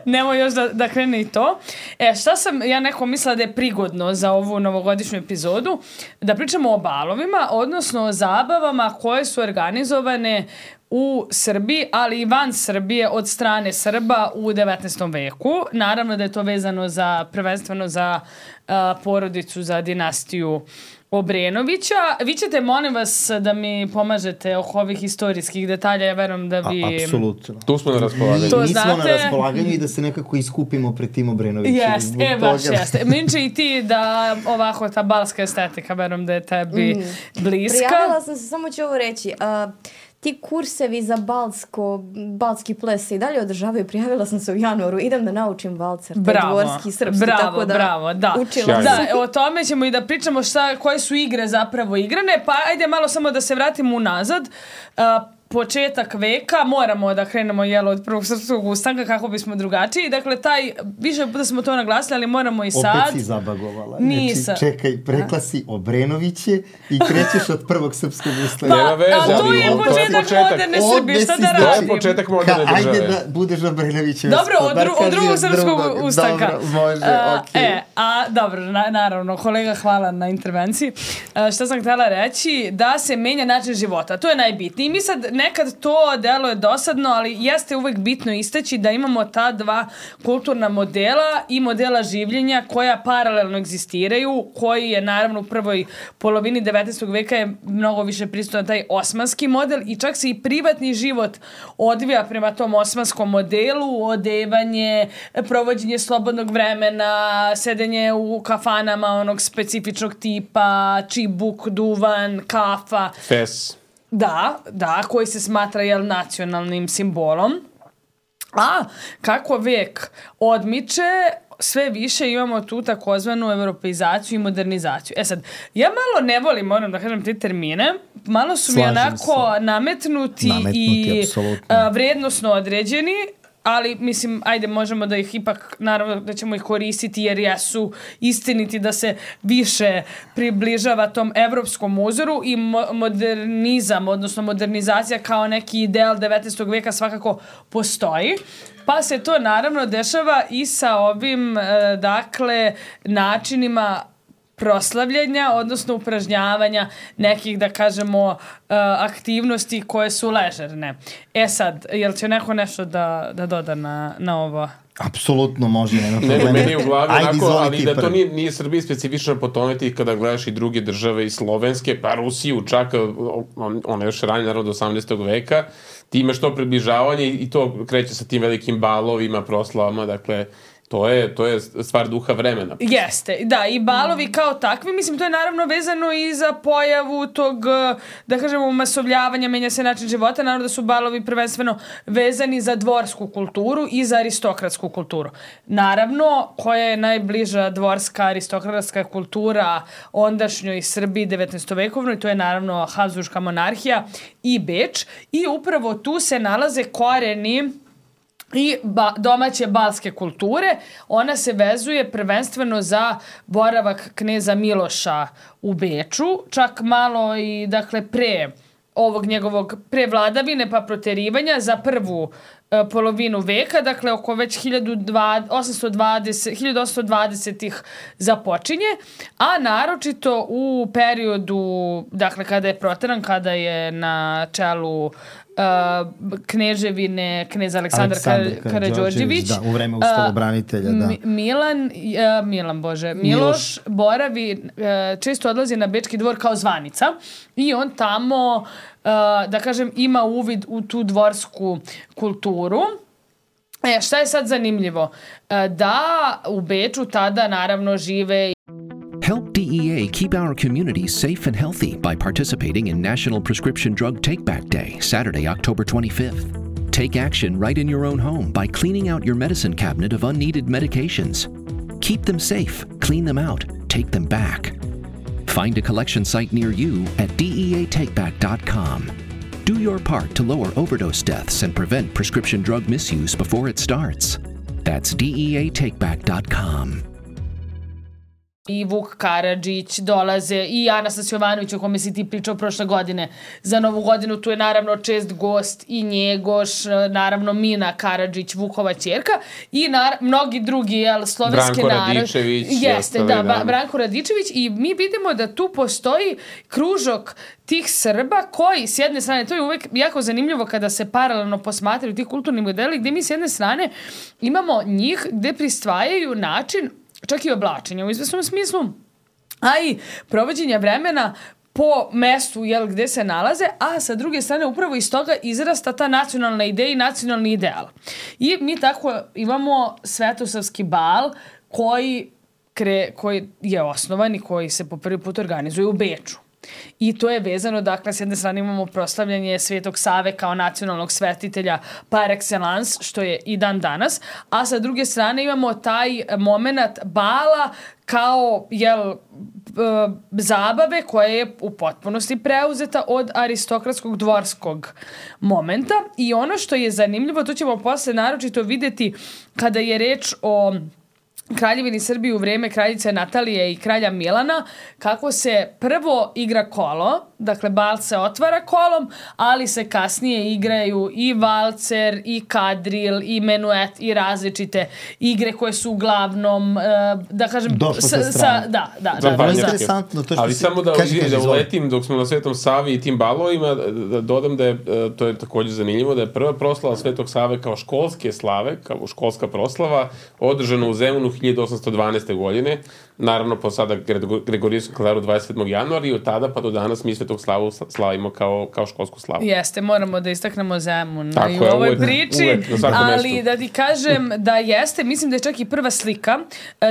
Nemo još da, da krene i to. E, šta sam ja neko mislila da je prigodno za ovu novogodišnju epizodu? Da pričamo o balovima, odnosno o zabavama koje su organizovane u Srbiji, ali i van Srbije od strane Srba u devetnaestom veku. Naravno da je to vezano za, prvenstveno za uh, porodicu, za dinastiju Obrenovića. Vi ćete, molim vas, da mi pomažete oko ovih istorijskih detalja, ja verujem da vi... A, apsolutno. Tu smo na raspolaganju. To mi znate... smo na raspolaganju i da se nekako iskupimo pred tim Obrenovićima. Jest, e, baš jeste. Minče i ti da ovako ta balska estetika, verujem da je tebi mm. bliska. Prijavila sam se, samo ću ovo reći. Uh, ti kursevi za balsko, balski ples se i dalje održavaju. Prijavila sam se u januaru. Idem da naučim valcer. Bravo, dvorski, srpski, bravo, tako da bravo, da. Učila da, o tome ćemo i da pričamo šta, koje su igre zapravo igrane. Pa ajde malo samo da se vratimo unazad. Uh, početak veka, moramo da krenemo jelo od prvog srpskog ustanka kako bismo drugačiji. Dakle, taj, više puta smo to naglasili, ali moramo i sad. Opet si zabagovala. Nisam. Znači, čekaj, rekla si Obrenoviće i krećeš od prvog srpskog ustanka. Pa, a to je početak moderne Srbije, šta da radim? To je početak moderne države. Ajde da budeš Obrenoviće. Dobro, od, dru, od drugog srpskog ustanka. Dobro, može, uh, okej. Okay. E, a Na, dobro, na, naravno, kolega, hvala na intervenciji. Uh, šta sam htjela reći? Da se menja način života. To je najbitnije. I mi sad nekad to deluje dosadno, ali jeste uvek bitno istaći da imamo ta dva kulturna modela i modela življenja koja paralelno egzistiraju, koji je naravno u prvoj polovini devetnaestog veka je mnogo više prisutan taj osmanski model i čak se i privatni život odvija prema tom osmanskom modelu, odevanje, provođenje slobodnog vremena, sedenje u kafanama onog specifičnog tipa, čibuk, duvan, kafa. Fes. Da, da, koji se smatra jel, nacionalnim simbolom. A kako vek odmiče, sve više imamo tu takozvanu europeizaciju i modernizaciju. E sad, ja malo ne volim, moram da kažem, te termine. Malo su Slažem mi onako se. nametnuti, nametnuti i a, vrednosno određeni, ali mislim, ajde, možemo da ih ipak, naravno da ćemo ih koristiti jer jesu istiniti da se više približava tom evropskom uzoru i mo- modernizam, odnosno modernizacija kao neki ideal devetnaestog veka svakako postoji. Pa se to naravno dešava i sa ovim, e, dakle, načinima proslavljanja, odnosno upražnjavanja nekih, da kažemo, uh, aktivnosti koje su ležerne. E sad, jel će neko nešto da, da doda na, na ovo? Apsolutno može, nema problema. Ne, meni je u glavi onako, ali da to nije, nije Srbiji specifično po tome ti kada gledaš i druge države i slovenske, pa Rusiju čak, on, ona još ranije, naravno do osamnaestog veka, ti imaš to približavanje i to kreće sa tim velikim balovima, proslavama, dakle, To je, to je stvar duha vremena. Jeste, da, i balovi kao takvi, mislim, to je naravno vezano i za pojavu tog, da kažemo, masovljavanja, menja se način života, naravno da su balovi prvenstveno vezani za dvorsku kulturu i za aristokratsku kulturu. Naravno, koja je najbliža dvorska aristokratska kultura ondašnjoj Srbiji devetnaestovekovnoj, to je naravno Habsburška monarhija i Beč, i upravo tu se nalaze koreni i ba, domaće balske kulture. Ona se vezuje prvenstveno za boravak kneza Miloša u Beču, čak malo i dakle pre ovog njegovog prevladavine pa proterivanja za prvu e, polovinu veka, dakle oko već hiljadu osamsto dvadesetih započinje, a naročito u periodu, dakle kada je proteran, kada je na čelu Uh, kneževine kneza Aleksandar, Aleksandar Karađorđević, da, u vreme ustavobranitelja, da. Mi, Milan, uh, Milan, bože, Miloš, Miloš boravi, uh, često odlazi na Bečki dvor kao zvanica i on tamo, uh, da kažem, ima uvid u tu dvorsku kulturu. E, šta je sad zanimljivo? Uh, da u Beču tada naravno žive Help D E A keep our communities safe and healthy by participating in National Prescription Drug Take-Back Day, Saturday, October twenty-fifth. Take action right in your own home by cleaning out your medicine cabinet of unneeded medications. Keep them safe, clean them out, take them back. Find a collection site near you at D E A take back dot com. Do your part to lower overdose deaths and prevent prescription drug misuse before it starts. That's D E A take back dot com. I Vuk Karadžić dolaze, i Anastas Jovanović, o kome si ti pričao prošle godine za Novu godinu. Tu je naravno čest gost i Njegoš, naravno Mina Karadžić, Vukova ćerka, i nar- mnogi drugi jel, slovenski narod. Branko Radičević. Jeste, da, da, Branko Radičević, i mi vidimo da tu postoji kružok tih Srba koji, s jedne strane, to je uvek jako zanimljivo kada se paralelno posmatraju ti kulturni modeli, gde mi s jedne strane imamo njih gde pristvajaju način čak i oblačenja u izvesnom smislu, a i provođenja vremena po mestu jel, gde se nalaze, a sa druge strane upravo iz toga izrasta ta nacionalna ideja i nacionalni ideal. I mi tako imamo Svetosavski bal koji, kre, koji je osnovan i koji se po prvi put organizuje u Beču. I to je vezano, dakle, s jedne strane imamo proslavljanje Svetog Save kao nacionalnog svetitelja par excellence, što je i dan danas, a sa druge strane imamo taj moment bala kao, jel, zabave koja je u potpunosti preuzeta od aristokratskog dvorskog momenta. I ono što je zanimljivo, to ćemo posle naročito videti kada je reč o Kraljevini Srbije u vrijeme kraljice Natalije i kralja Milana, kako se prvo igra kolo, dakle bal se otvara kolom, ali se kasnije igraju i valcer, i kadril, i menuet, i različite igre koje su uglavnom, uh, da kažem, došlo sa sa, strane. Da, da, da. da, da, da. Interesantno to što ali si... samo da, kaži, kaži, da izvoli. uletim dok smo na Svetom Savi i tim balovima, da dodam da je, to je također zanimljivo, da je prva proslava Svetog Save kao školske slave, kao školska proslava, održana u Zemunu hiljadu osamsto dvanaeste. godine, naravno po sada Gregorijskom kalendaru dvadeset sedmog januara i od tada pa do danas mi Svetog Slavu slavimo kao, kao školsku slavu. Jeste, moramo da istaknemo Zemun Tako i u je, ovoj uvek, priči, uvek, ali mestu. da ti kažem da jeste, mislim da je čak i prva slika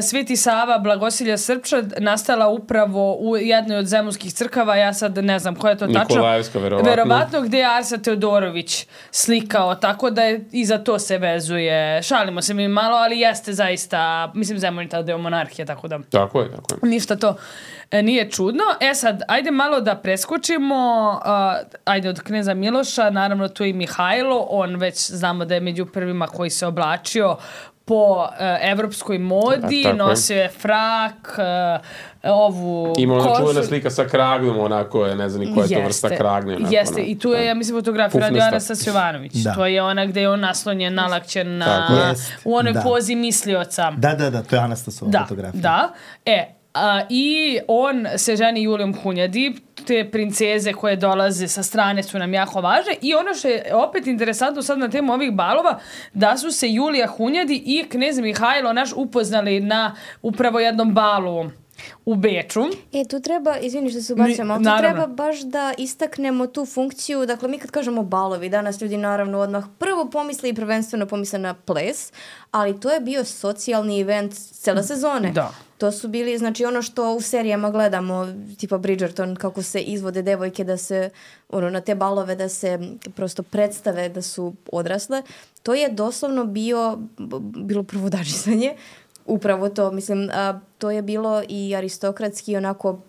Sveti Sava Blagosilja Srpča nastala upravo u jednoj od zemunskih crkava, ja sad ne znam koja je to tačno. Nikolajevska, verovatno. Verovatno, gde je Arsa Teodorović slikao, tako da je i za to se vezuje. Šalimo se mi malo, ali jeste zaista, mislim Zemun je tada deo monarhije, tako da... Tako je, tako je. Ništa to e, nije čudno. E sad, ajde malo da preskočimo, uh, ajde od kneza Miloša, naravno tu je i Mihajlo, on već znamo da je među prvima koji se oblačio po uh, evropskoj modi, A, nosio je frak, uh, ovu ima ona košu. čuvena slika sa kragnom, onako je, ne znam ni koja je to vrsta kragne. Onako, Jeste, onako, i tu je, ja mislim, fotografija radio Anastas Jovanović. Da. To je ona gde je on naslonjen, nalakćen na, Jest, u onoj da. pozi mislioca. Da, da, da, to je Anastasova Da, fotografija. da. E, a, i on se ženi Julijom Hunjadi, te princeze koje dolaze sa strane su nam jako važne i ono što je opet interesantno sad na temu ovih balova, da su se Julija Hunjadi i knez Mihajlo naš upoznali na upravo jednom balu u Beču. E, tu treba, izvini što se ubacujemo, ali tu treba baš da istaknemo tu funkciju, dakle mi kad kažemo balovi, danas ljudi naravno odmah prvo pomisle i prvenstveno pomisle na ples, ali to je bio socijalni event cele sezone. Da. To su bili, znači ono što u serijama gledamo, tipa Bridgerton, kako se izvode devojke da se, ono, na te balove da se prosto predstave da su odrasle, to je doslovno bio, bilo provodadžisanje. Upravo to, mislim, a, to je bilo i aristokratski onako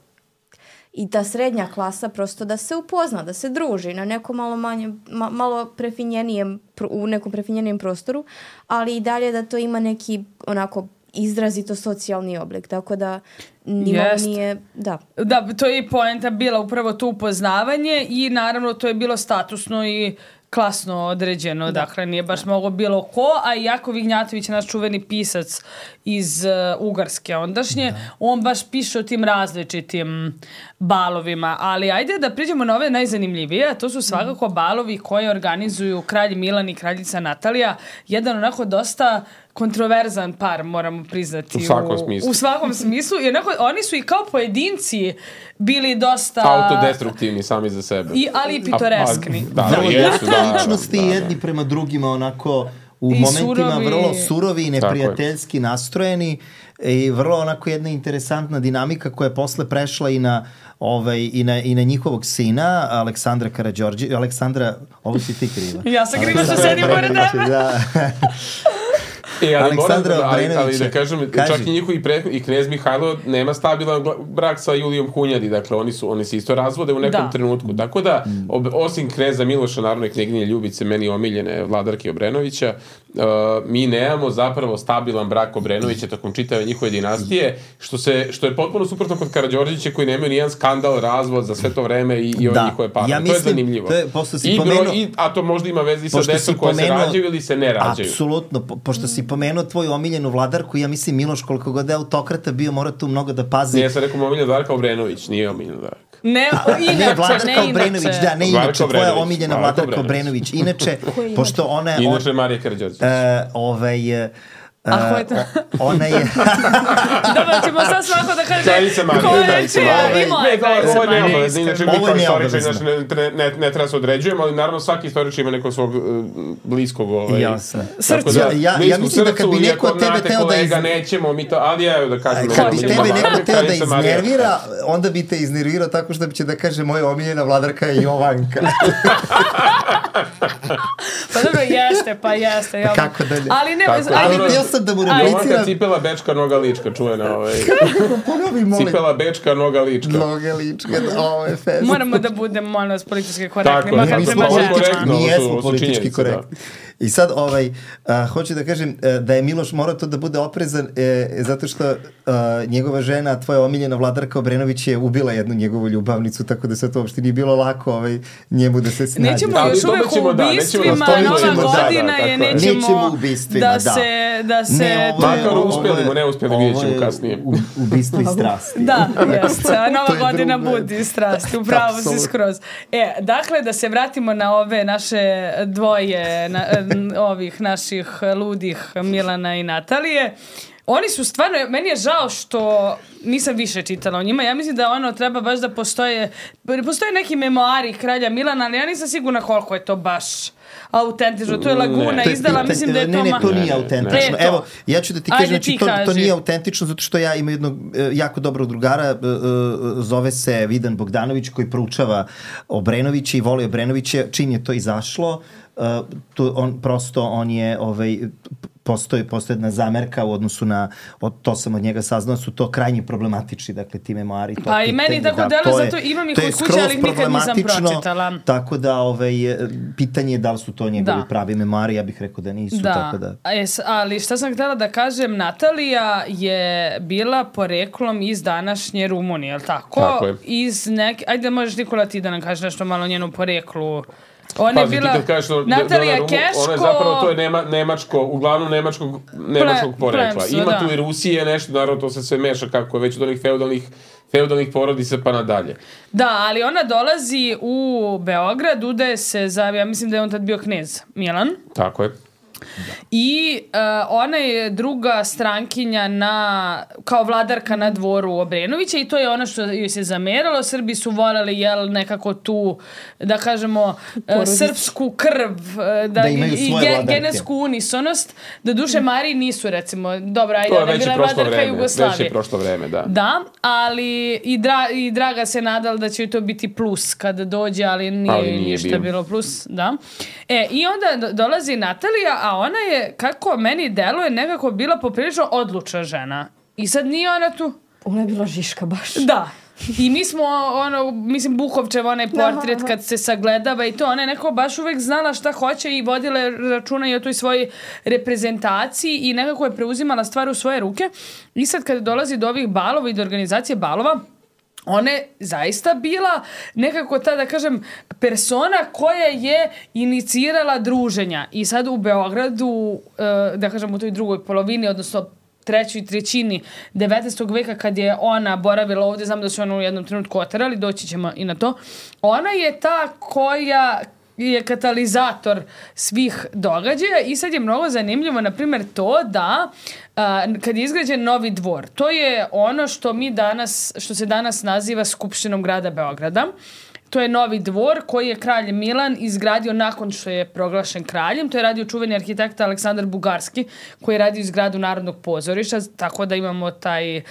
i ta srednja klasa prosto da se upozna, da se druži na nekom malo manje, ma, malo prefinjenijem, u nekom prefinjenijem prostoru, ali i dalje da to ima neki onako izrazito socijalni oblik, tako da nimalo nije, da. Da, to je i poenta bila upravo to upoznavanje i naravno to je bilo statusno i klasno određeno, da. Dakle nije baš moglo bilo ko, a i Jakov Ignjatović, naš čuveni pisac iz uh, Ugarske ondašnje, da. On baš piše o tim različitim balovima, ali ajde da priđemo na ove najzanimljivije, to su svakako balovi koje organizuju kralj Milan i kraljica Natalija, jedan onako dosta kontroverzan par, moramo priznati. U svakom smislu. U svakom smislu. I onako, oni su i kao pojedinci bili dosta... autodestruktivni sami za sebe. I, ali i pitoreskni. A, a, da, vrlo jesu, jake da, ličnosti da, da. jedni prema drugima onako u I momentima surovi. vrlo surovi i neprijateljski nastrojeni i vrlo onako jedna interesantna dinamika koja je posle prešla i na ovaj i na i na njihovog sina Aleksandra Karađorđe, Aleksandra, ovo si ti kriva. Ja sam kriva što sedim pored tebe. Da. E, ali Aleksandra moram, ali, ali Obrenovića. da kažem, Kaži. čak i njihovi prethodni, i knez Mihajlo nema stabilan brak sa Julijom Hunjadi, dakle oni su oni se isto razvode u nekom da. trenutku. Tako da, ob, osim kneza Miloša, naravno i knjeginje Ljubice, meni omiljene vladarke Obrenovića, uh, mi nemamo zapravo stabilan brak Obrenovića tokom čitave njihove dinastije, što, se, što je potpuno suprotno kod Karađorđevića koji nemaju nijedan skandal, razvod za sve to vreme i, i ove Da. njihove pare. Ja to mislim, je zanimljivo. to je, pošto si I pomenuo- broj, i, a to možda ima veze i sa Pošto decom si koje se pomenuo- rađaju ili se ne rađaju. Apsolutno, po, pošto si pomenuo tvoju omiljenu vladarku, ja mislim Miloš koliko god je autokrata bio, mora tu mnogo da pazi. Ne, ja sam rekao omiljena Darka Obrenović, nije omiljena Darka. Ne, Ne, inače, vladarka ne Obrenović, inače. da, ne Vladarka inače, tvoja Obrenović, omiljena Vladarka vladarka Obrenović. Inače, pošto ona je... Inače Marija Karađorđević. Uh, ovaj... Uh, A ko je to? Ona je... Dobro, ćemo sad svako da kaže Kraljica Marija, ko je Kraljica čija Marija. i moja Ne, kraljica ovo je Marija. neobavezno, inače mi Ovo je kao istoričari neobavezno. znači, ne, ne, ne treba se određujemo, ali naravno svaki istoričar ima nekog svog uh, bliskog ovaj, Jasno. tako Ja- ja- ja bliskog mislim da kad bi srcu, neko iako tebe znate teo da kolega, iz- nećemo mi to, ali ja da kažem... Kad bi omiljena tebe vladarka, neko teo da Kraljica Marija. iznervira, onda bi te iznervirao tako što će da kaže moja omiljena vladarka je Jovanka. Pa dobro, jeste, pa jeste. Ja. Kako dalje? Ali ne, Tako, ali, Ali htio sam da mu Ajde. Jovanka repliciram. cipela bečka noga lička, čujena ovaj... Ponovi, molim. Cipela bečka noga lička. Noge ličke, ovo je fest. moramo da budemo, molim vas, politički korektni, Tako je, makar mi smo prema politički- ženama. korektno, Mi ovo su- jesmo ovo su politički činjenice, korektni. I sad, ovaj, a, hoću da kažem a, da je Miloš morao to da bude oprezan e, zato što a, njegova žena, tvoja omiljena Vladarka Obrenović je ubila jednu njegovu ljubavnicu, tako da sve to uopšte nije bilo lako ovaj, njemu da se snađe. Nećemo još uvek u ubistvima, nova godina je, nećemo da se... Da se makar uspjelimo, ne uspjeli, vidjet ćemo kasnije. Ubistvo i strasti. Da, jest. Nova godina budi strasti, upravo si skroz. E, dakle, da se vratimo na ove naše dvoje na, ovih naših ludih Milana i Natalije. Oni su stvarno, meni je žao što nisam više čitala o njima. Ja mislim da ono treba baš da postoje, postoje neki memoari kralja Milana, ali ja nisam sigurna koliko je to baš autentično. To je Laguna ne, izdala, je, mislim da je to... Ne, ne, to nije autentično. Evo, ja ću da ti kažem, znači, to, to nije autentično zato što ja imam jednog jako dobrog drugara, zove se Vidan Bogdanović, koji proučava Obrenovića i voli Obrenovića. Čim je to izašlo, to on, prosto on je... Ovaj, postoji, postoji jedna zamerka u odnosu na, od, to sam od njega saznao, su to krajnje problematični, dakle, ti memoari. To pa i meni tako da, delo, zato imam ih od kuće, ali ih nikad nisam pročitala. Tako da, ovaj, pitanje je da li su to njegovi da. pravi memoari, ja bih rekao da nisu. Da, tako da. Es, ali šta sam htjela da kažem, Natalija je bila poreklom iz današnje Rumunije, je li tako? Tako je. Iz neke, ajde, možeš Nikola ti da nam kažeš nešto malo o njenom poreklu. Ona je bila Natalija Keško. Ona je zapravo, to je nema, nemačko, uglavnom nemačkog, nemačkog Ple, porekla. Plemso, Ima da. tu i Rusije nešto, naravno to se sve meša kako je već od onih feudalnih, feudalnih porodica pa nadalje. Da, ali ona dolazi u Beograd, udaje se za, ja mislim da je on tad bio knez Milan. Tako je. Da. I uh, ona je druga strankinja na, kao vladarka na dvoru Obrenovića i to je ono što joj se zameralo. Srbi su voljeli jel, nekako tu, da kažemo, uh, srpsku krv, uh, da, da imaju i ge, genetsku unisonost. Da duše Mariji nisu, recimo, dobra, ajde, ona je bila vladarka Jugoslavije. Već je prošlo vreme, da. Da, ali i, dra, i Draga se nadala da će to biti plus kada dođe, ali nije, ali nije ništa bio. bilo plus. Da. E, i onda dolazi Natalija, a ona je, kako meni deluje, nekako bila poprilično odlučna žena. I sad nije ona tu... Ona je bila žiška baš. Da. I mi smo, ono, mislim, Bukovčev, onaj portret kad se sagledava i to, ona je nekako baš uvek znala šta hoće i vodila računa i o toj svojoj reprezentaciji i nekako je preuzimala stvar u svoje ruke. I sad kad dolazi do ovih balova i do organizacije balova, ona je zaista bila nekako ta, da kažem, persona koja je inicirala druženja. I sad u Beogradu, da kažem, u toj drugoj polovini, odnosno trećoj trećini devetnaestog veka kad je ona boravila ovdje, znam da su ona u jednom trenutku oterali, doći ćemo i na to, ona je ta koja je katalizator svih događaja i sad je mnogo zanimljivo, na primjer, to da a, kad je izgrađen novi dvor, to je ono što mi danas, što se danas naziva Skupštinom grada Beograda. To je novi dvor koji je kralj Milan izgradio nakon što je proglašen kraljem. To je radio čuveni arhitekta Aleksandar Bugarski koji je radio izgradu Narodnog pozorišta, tako da imamo taj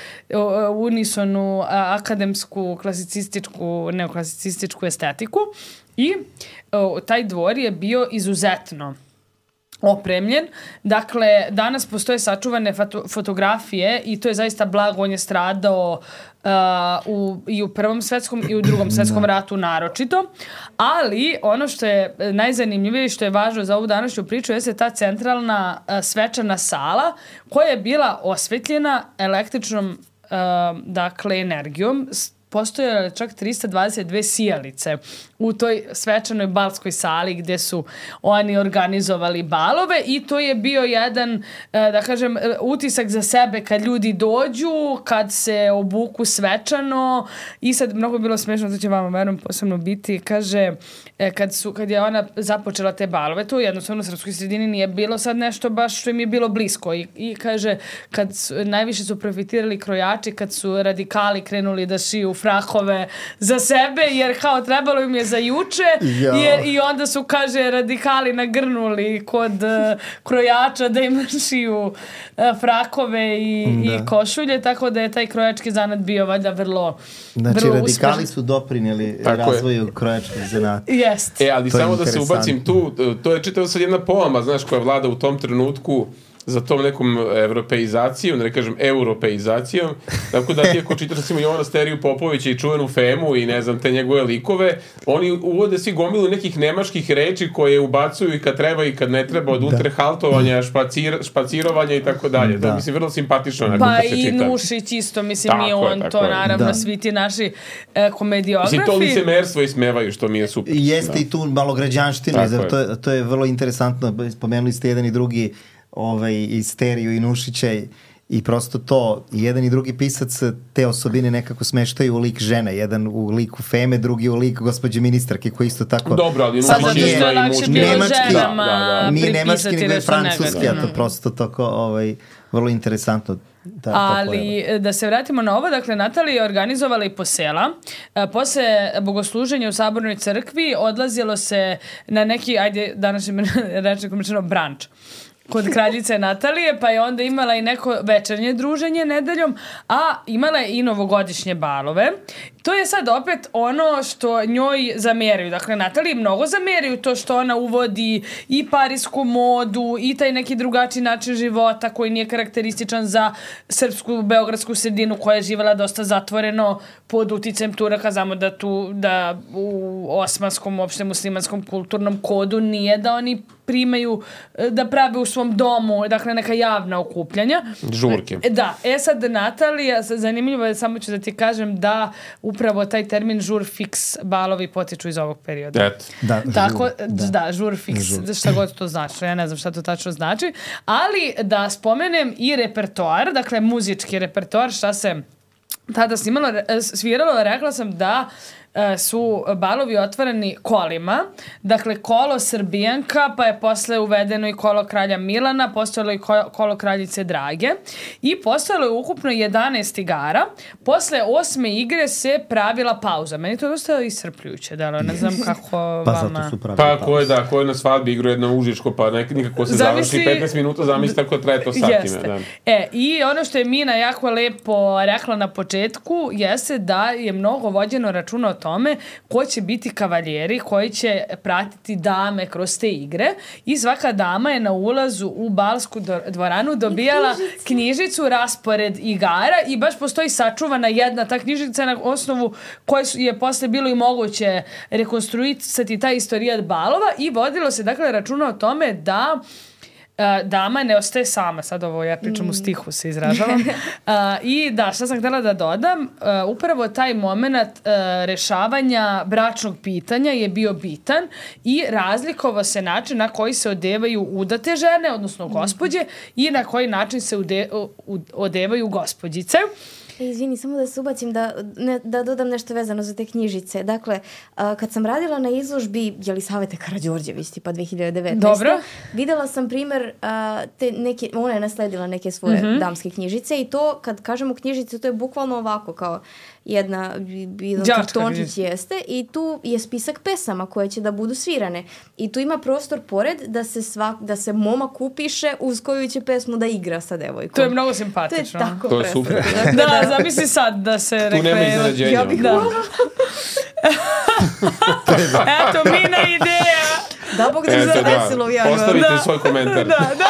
unisonu akademsku, klasicističku, neoklasicističku estetiku. I o, taj dvor je bio izuzetno opremljen. Dakle, danas postoje sačuvane foto, fotografije i to je zaista blago. On je stradao uh, u, i u Prvom svetskom i u Drugom svetskom ratu naročito. Ali ono što je najzanimljivije i što je važno za ovu današnju priču jeste ta centralna uh, svečana sala koja je bila osvetljena električnom uh, dakle, energijom. Postoje čak trista dvadeset dve sijalice u toj svečanoj balskoj sali gdje su oni organizovali balove i to je bio jedan, da kažem, utisak za sebe kad ljudi dođu, kad se obuku svečano i sad mnogo bilo smiješno, to će vama verujem posebno biti, kaže, kad, su, kad je ona započela te balove, to jednostavno u srpskoj sredini nije bilo sad nešto baš što im je bilo blisko i, i kaže, kad su, najviše su profitirali krojači kad su radikali krenuli da šiju frahove za sebe, jer kao trebalo im je za juče jer, i onda su, kaže, radikali nagrnuli kod uh, krojača da im šiju uh, frakove i, i košulje, tako da je taj krojački zanat bio valjda vrlo Znači, vrlo radikali uspešan. Su doprinijeli razvoju krojačkog zanata. Jest. E, ali samo da se ubacim tu, to je čitava sad jedna poama, znaš, koja vlada u tom trenutku za tom nekom evropeizacijom, da ne kažem europeizacijom, tako da ti ako čitaš recimo Jovana Steriju Popovića i čuvenu Femu i ne znam te njegove likove, oni uvode svi gomilu nekih nemačkih reči koje ubacuju i kad treba i kad ne treba, od ultrahaltovanja, špacir, špacirovanja i tako dalje. To je mislim vrlo simpatično. Pa i Nušić isto, mislim tako nije on je, to, naravno, da. Svi ti naši e, komediografi. Mislim, to licemerstvo ismevaju, što mi je super. Jeste da. I tu malo građanština, to je, to je vrlo interesantno, spomenuli ste jedan i drugi ovaj, i Steriju i Nušića i, i prosto to, jedan i drugi pisac te osobine nekako smeštaju u lik žene, jedan u liku Feme, drugi u lik gospođe ministarke koji isto tako... Dobro, ali sad zato što je lakše bilo ženama da, da. Nije nemački, nego je francuski, a to prosto tako ovaj, vrlo interesantno. Da, ali da se vratimo na ovo, dakle Natalija je organizovala i posela. E, posle bogosluženja u Sabornoj crkvi odlazilo se na neki, ajde danas je rečeno rečeno branč kod kraljice Natalije, pa je onda imala i neko večernje druženje nedeljom, a imala je i novogodišnje balove. To je sad opet ono što njoj zameraju. Dakle, Nataliji mnogo zameraju to što ona uvodi i parisku modu i taj neki drugačiji način života koji nije karakterističan za srpsku beogradsku sredinu koja je živjela dosta zatvoreno pod uticajem Turaka. Znamo da tu da u osmanskom, uopšte muslimanskom kulturnom kodu nije da oni primaju, da prave u svom domu, dakle neka javna okupljanja. Žurke. Da, e sad Natalija, zanimljivo je, samo ću da ti kažem da upravo taj termin žur fiks balovi potiču iz ovog perioda. Et. Da, Tako, žur, da. da, žur fiks, žur. Šta god to znači, ja ne znam šta to tačno znači, ali da spomenem i repertoar, dakle muzički repertoar, šta se tada snimalo, sviralo, rekla sam da su balovi otvoreni kolima. Dakle, kolo Srbijanka, pa je posle uvedeno i kolo kralja Milana, postojalo i kolo kraljice Drage i postojalo je ukupno jedanaest igara. Posle osme igre se pravila pauza. Meni to je dosta iscrpljujuće, da li ne znam kako pa vama... Zato su pravili pa pauza. ko je, da, ko je na svadbi igrao jedno užičko, pa nek, nikako se zamisli, završi petnaest minuta, zamisli tako traje to satima. Jeste. Da. E, i ono što je Mina jako lepo rekla na početku, jeste da je mnogo vođeno računa o tome ko će biti kavaljeri koji će pratiti dame kroz te igre i svaka dama je na ulazu u balsku dvoranu dobijala knjižicu, raspored igara i baš postoji sačuvana jedna ta knjižica na osnovu koje je posle bilo i moguće rekonstruisati ta istorijat balova i vodilo se dakle računa o tome da Uh, dama ne ostaje sama, sad ovo ja pričam mm. u stihu se izražavam. Uh, I da, šta sam htjela da dodam, uh, upravo taj moment uh, rešavanja bračnog pitanja je bio bitan i razlikovao se način na koji se odevaju udate žene, odnosno gospođe, mm. i na koji način se ude, u, odevaju gospođice. E, izvini, samo da se ubacim da, ne, da dodam nešto vezano za te knjižice. Dakle, a, kad sam radila na izložbi Jelisavete Karađorđević, tipa dve hiljade devetnaeste. Dobro. Videla sam primer, a, te neke, ona je nasledila neke svoje mm-hmm. damske knjižice i to, kad kažemo knjižice, to je bukvalno ovako kao jedna, jedan kartončić jeste i tu je spisak pesama koje će da budu svirane. I tu ima prostor pored da se, svak, da se momak upiše uz koju će pesmu da igra sa devojkom. To je mnogo simpatično. To je tako to je super. Da, da, zamisli sad da se rekla... Tu nema iznenađenja. Ja bih da. Eto, Mina ideja. Da, Bog da se desilo u januaru. Ostavite da. svoj komentar. Da, da.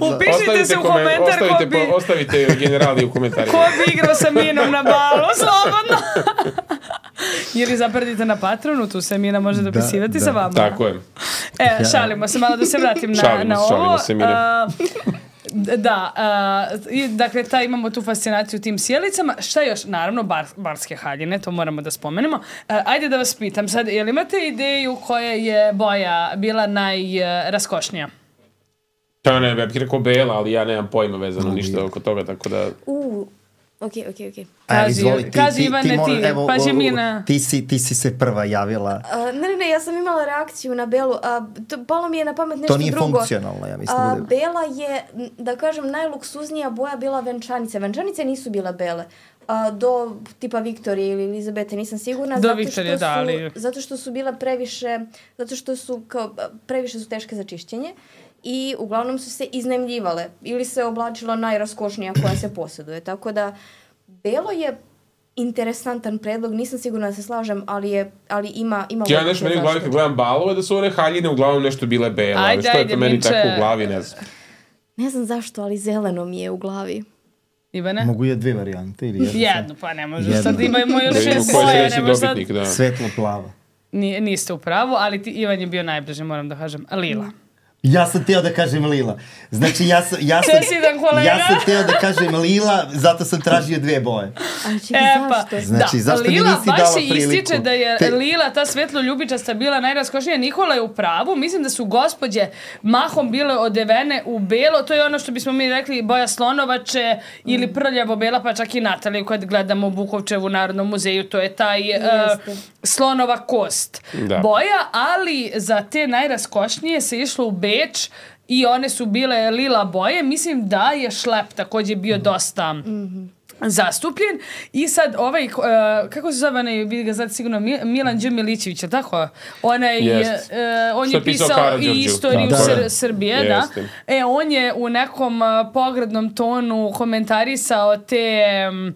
Upišite ostavite se u komentar ostavite, ko bi... Ostavite generali u komentarima. Ko bi igrao sa Minom na balu, slobodno. Ili zapredite na Patronu, tu se Mina može dopisivati da, da. sa vama. Tako je. E, šalimo se, malo da se vratim na, šalimo, na ovo. Šalimo se, Mina. Uh, Da, uh, i, dakle, ta, imamo tu fascinaciju tim sjelicama. Šta još? Naravno, bar, barske haljine, to moramo da spomenemo. Uh, ajde da vas pitam sad, jel imate ideju koja je boja bila najraskošnija? To ne, ja bih rekao bela, ali ja nemam pojma vezano ništa oko toga, tako da... Uh. Ok, ok, ok. Kaži, izvoli, ti, kaži ti, Ivane, ti, ti, evo, pa će Mina... Ti si, ti si se prva javila. Uh, ne, ne, ne, ja sam imala reakciju na Belu. Uh, to, palo mi je na pamet nešto drugo. To nije drugo. Funkcionalno, ja mislim. Uh, Bela je, da kažem, najluksuznija boja bila venčanice. Venčanice nisu bile bele. Uh, do tipa Viktorije ili Elizabete, nisam sigurna. Do Viktorije, da, ali... Zato što su bile previše, zato što su kao, previše su teške za čišćenje. I uglavnom su se iznajmljivale ili se oblačila najraskošnija koja se posjeduje. Tako da belo je interesantan predlog, nisam sigurna da se slažem, ali je ali ima ima ja nešto meni u glavi kad gledam balove da su one haljine uglavnom nešto bile bele, ali što je to meni tako u glavi, ne znam. Ne znam zašto, ali zeleno mi je u glavi. Ivane? Mogu je dve varijante ili jedno? Jedno, pa ne može. Sad imamo još šest svoje. Dobitnik, da. Svetlo plava. Nije, niste u pravu, ali ti, Ivan je bio najbliže, moram da kažem. Lila. Ja sam teo da kažem Lila. Znači, ja sam, ja sam, ja sam teo da kažem Lila, zato sam tražio dve boje. A čekaj, e, pa, zašto? Znači, da, zašto mi Lila nisi dala priliku? baš se ističe da je Te... Lila, ta svetlo ljubičasta, bila najraskošnija. Nikola je u pravu. Mislim da su gospođe mahom bile odevene u belo. To je ono što bismo mi rekli boja slonovače ili prljavo bela, pa čak i Nataliju kad gledamo Bukovčevu u Narodnom muzeju. To je taj uh, slonova kost da. Boja, ali za te najraskošnije se išlo u Beč i one su bile lila boje. Mislim da je šlep također bio dosta mm-hmm. zastupljen. I sad ovaj, uh, kako se zove, ne, vidi ga sad sigurno, Milan Đ. Milićević, je tako? Onaj, uh, on je pisao i istoriju da, da. Sr- Srbije, da. E, on je u nekom uh, pogrdnom tonu komentarisao te... Um,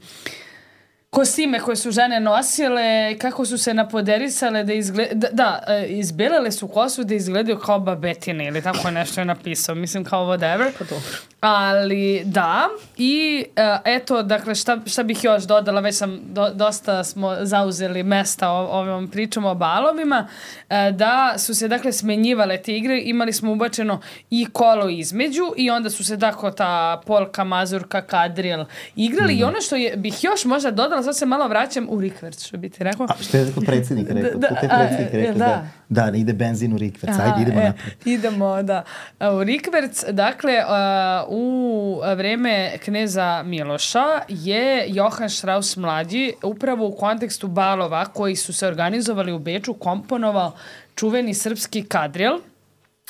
kostime koje su žene nosile, kako su se napoderisale da izgleda, da, da, izbelele su kosu da izgledaju kao babetine ili tako nešto je napisao, mislim kao whatever. Ali da, i uh, eto, dakle, šta, šta bih još dodala, već sam, do, dosta smo zauzeli mesta o, ovom pričom o balovima, uh, da su se, dakle, smenjivale te igre, imali smo ubačeno i kolo između i onda su se, dakle, ta polka, mazurka, kadril igrali mm. i ono što je, bih još možda dodala, sad se malo vraćam u rikverc, što bi ti rekao. A što je tako predsjednik rekao? Da, da, predsjednik rekao da. Da, da, ide benzin u rikverc, ajde, idemo e, napred. Idemo, da. U rikverc, dakle, uh, u vreme kneza Miloša je Johan Strauss mlađi upravo u kontekstu balova koji su se organizovali u Beču komponovao čuveni srpski kadril.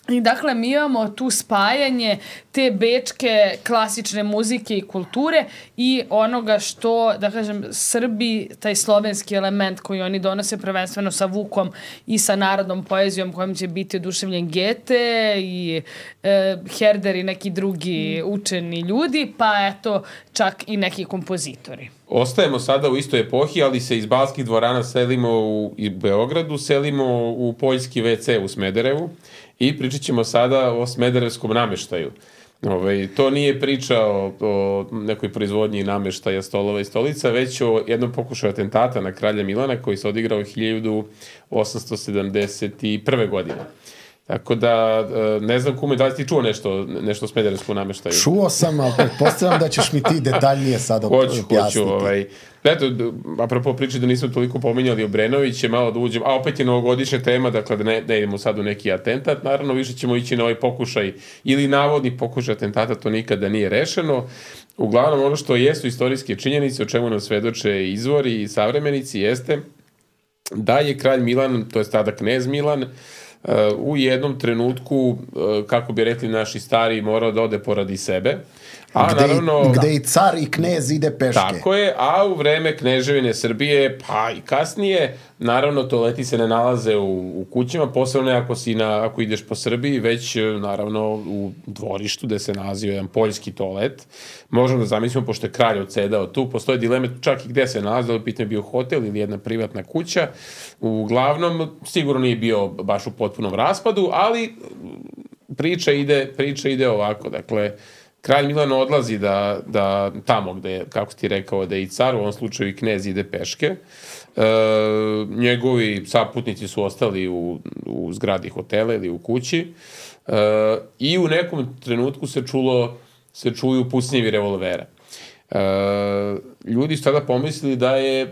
I dakle, mi imamo tu spajanje te bečke klasične muzike i kulture i onoga što, da kažem, Srbi, taj slovenski element koji oni donose prvenstveno sa Vukom i sa narodnom poezijom kojom će biti oduševljen Gete i e, Herder i neki drugi učeni ljudi, pa eto, čak i neki kompozitori. Ostajemo sada u istoj epohi, ali se iz balskih dvorana selimo u Beogradu, selimo u poljski ve ce u Smederevu i pričat ćemo sada o smederevskom nameštaju. Ove, to nije priča o, o nekoj proizvodnji nameštaja stolova i stolica, već o jednom pokušaju atentata na kralja Milana koji se odigrao hiljadu osamsto sedamdeset prve. godine. Tako da, ne znam kume, da li ti čuo nešto, nešto o smederevskom nameštaju? Čuo sam, ali pretpostavljam da ćeš mi ti detaljnije sad objasniti. Hoću, hoću. Ovaj. Eto, apropo priče da nismo toliko pominjali Obrenović, je malo da uđem, a opet je novogodišnja tema, dakle da ne, ne idemo sad u neki atentat, naravno više ćemo ići na ovaj pokušaj ili navodni pokušaj atentata, to nikada nije rešeno. Uglavnom, ono što jesu istorijske činjenice, o čemu nam svedoče izvori i savremenici, jeste da je kralj Milan, to je tada knez Milan, u jednom trenutku, kako bi rekli naši stari, morao da ode poradi sebe. A gde, naravno, gde i car i knez ide peške. Tako je, a u vreme kneževine Srbije, pa i kasnije, naravno toaleti se ne nalaze u, u kućama, posebno ako, si na, ako ideš po Srbiji, već naravno u dvorištu gde se nalazio jedan poljski toalet. Možemo da zamislimo, pošto je kralj odsedao tu, postoje dileme čak i gde se nalaze, ali pitanje je bio hotel ili jedna privatna kuća. Uglavnom, sigurno nije bio baš u potpunom raspadu, ali priča ide, priča ide ovako, dakle, kralj Milan odlazi da, da tamo gde je, kako ti rekao, da je i car, u ovom slučaju i knez ide peške. E, njegovi saputnici su ostali u, u zgradi hotela ili u kući e, i u nekom trenutku se čulo, se čuju pucnjevi revolvera. E, ljudi su tada pomislili da je e,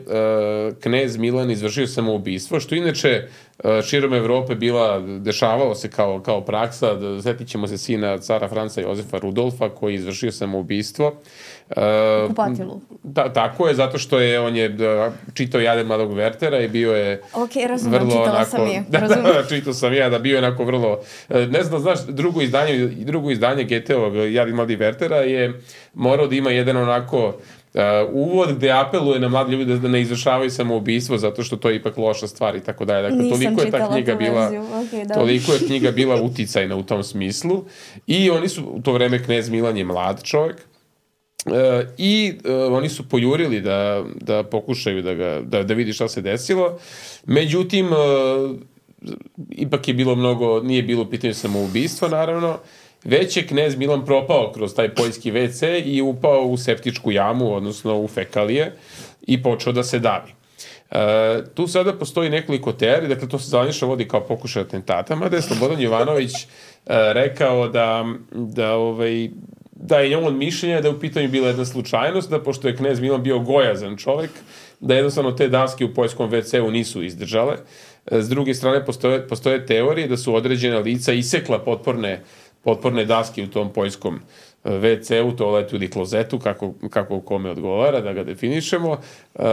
knez Milan izvršio samoubistvo, što inače e, širom Evrope bila, dešavalo se kao, kao praksa, da, zetit ćemo se sina cara Franca Jozefa Rudolfa koji je izvršio samoubistvo. E, Kupatilu. Da, tako je, zato što je on je da, čitao Jade mladog Wertera i bio je ok, razumem, čitala onako, sam je. Da, da, čitao sam ja, da bio je onako vrlo, ne znam, znaš, drugo izdanje, drugo izdanje Goetheovog Jade mladog Wertera je morao da ima jedan onako Uh, uvod gde apeluje na mladi ljudi da ne izvršavaju samoubistvo zato što to je ipak loša stvar i tako dalje. Dakle, toliko je ta knjiga bila okay, toliko je knjiga bila uticajna u tom smislu i oni su u to vreme knez Milan je mlad čovjek uh, i uh, oni su pojurili da, da pokušaju da, ga, da, da vidi šta se desilo. Međutim, uh, ipak je bilo mnogo, nije bilo pitanje samoubistva naravno već je knez Milan propao kroz taj poljski ve ce i upao u septičku jamu, odnosno u fekalije, i počeo da se davi. E, tu sada postoji nekoliko teorija, dakle to se zvanično vodi kao pokušaj atentata, mada je Slobodan Jovanović e, rekao da, da, ovaj, da je on mišljenja da je u pitanju bila jedna slučajnost, da pošto je knez Milan bio gojazan čovjek, da jednostavno te daske u poljskom ve ce u nisu izdržale. E, s druge strane postoje, postoje teorije da su određena lica isekla potporne, potporne daske u tom poljskom ve ce-u, toaletu ili klozetu, kako, kako kome odgovara, da ga definišemo, uh,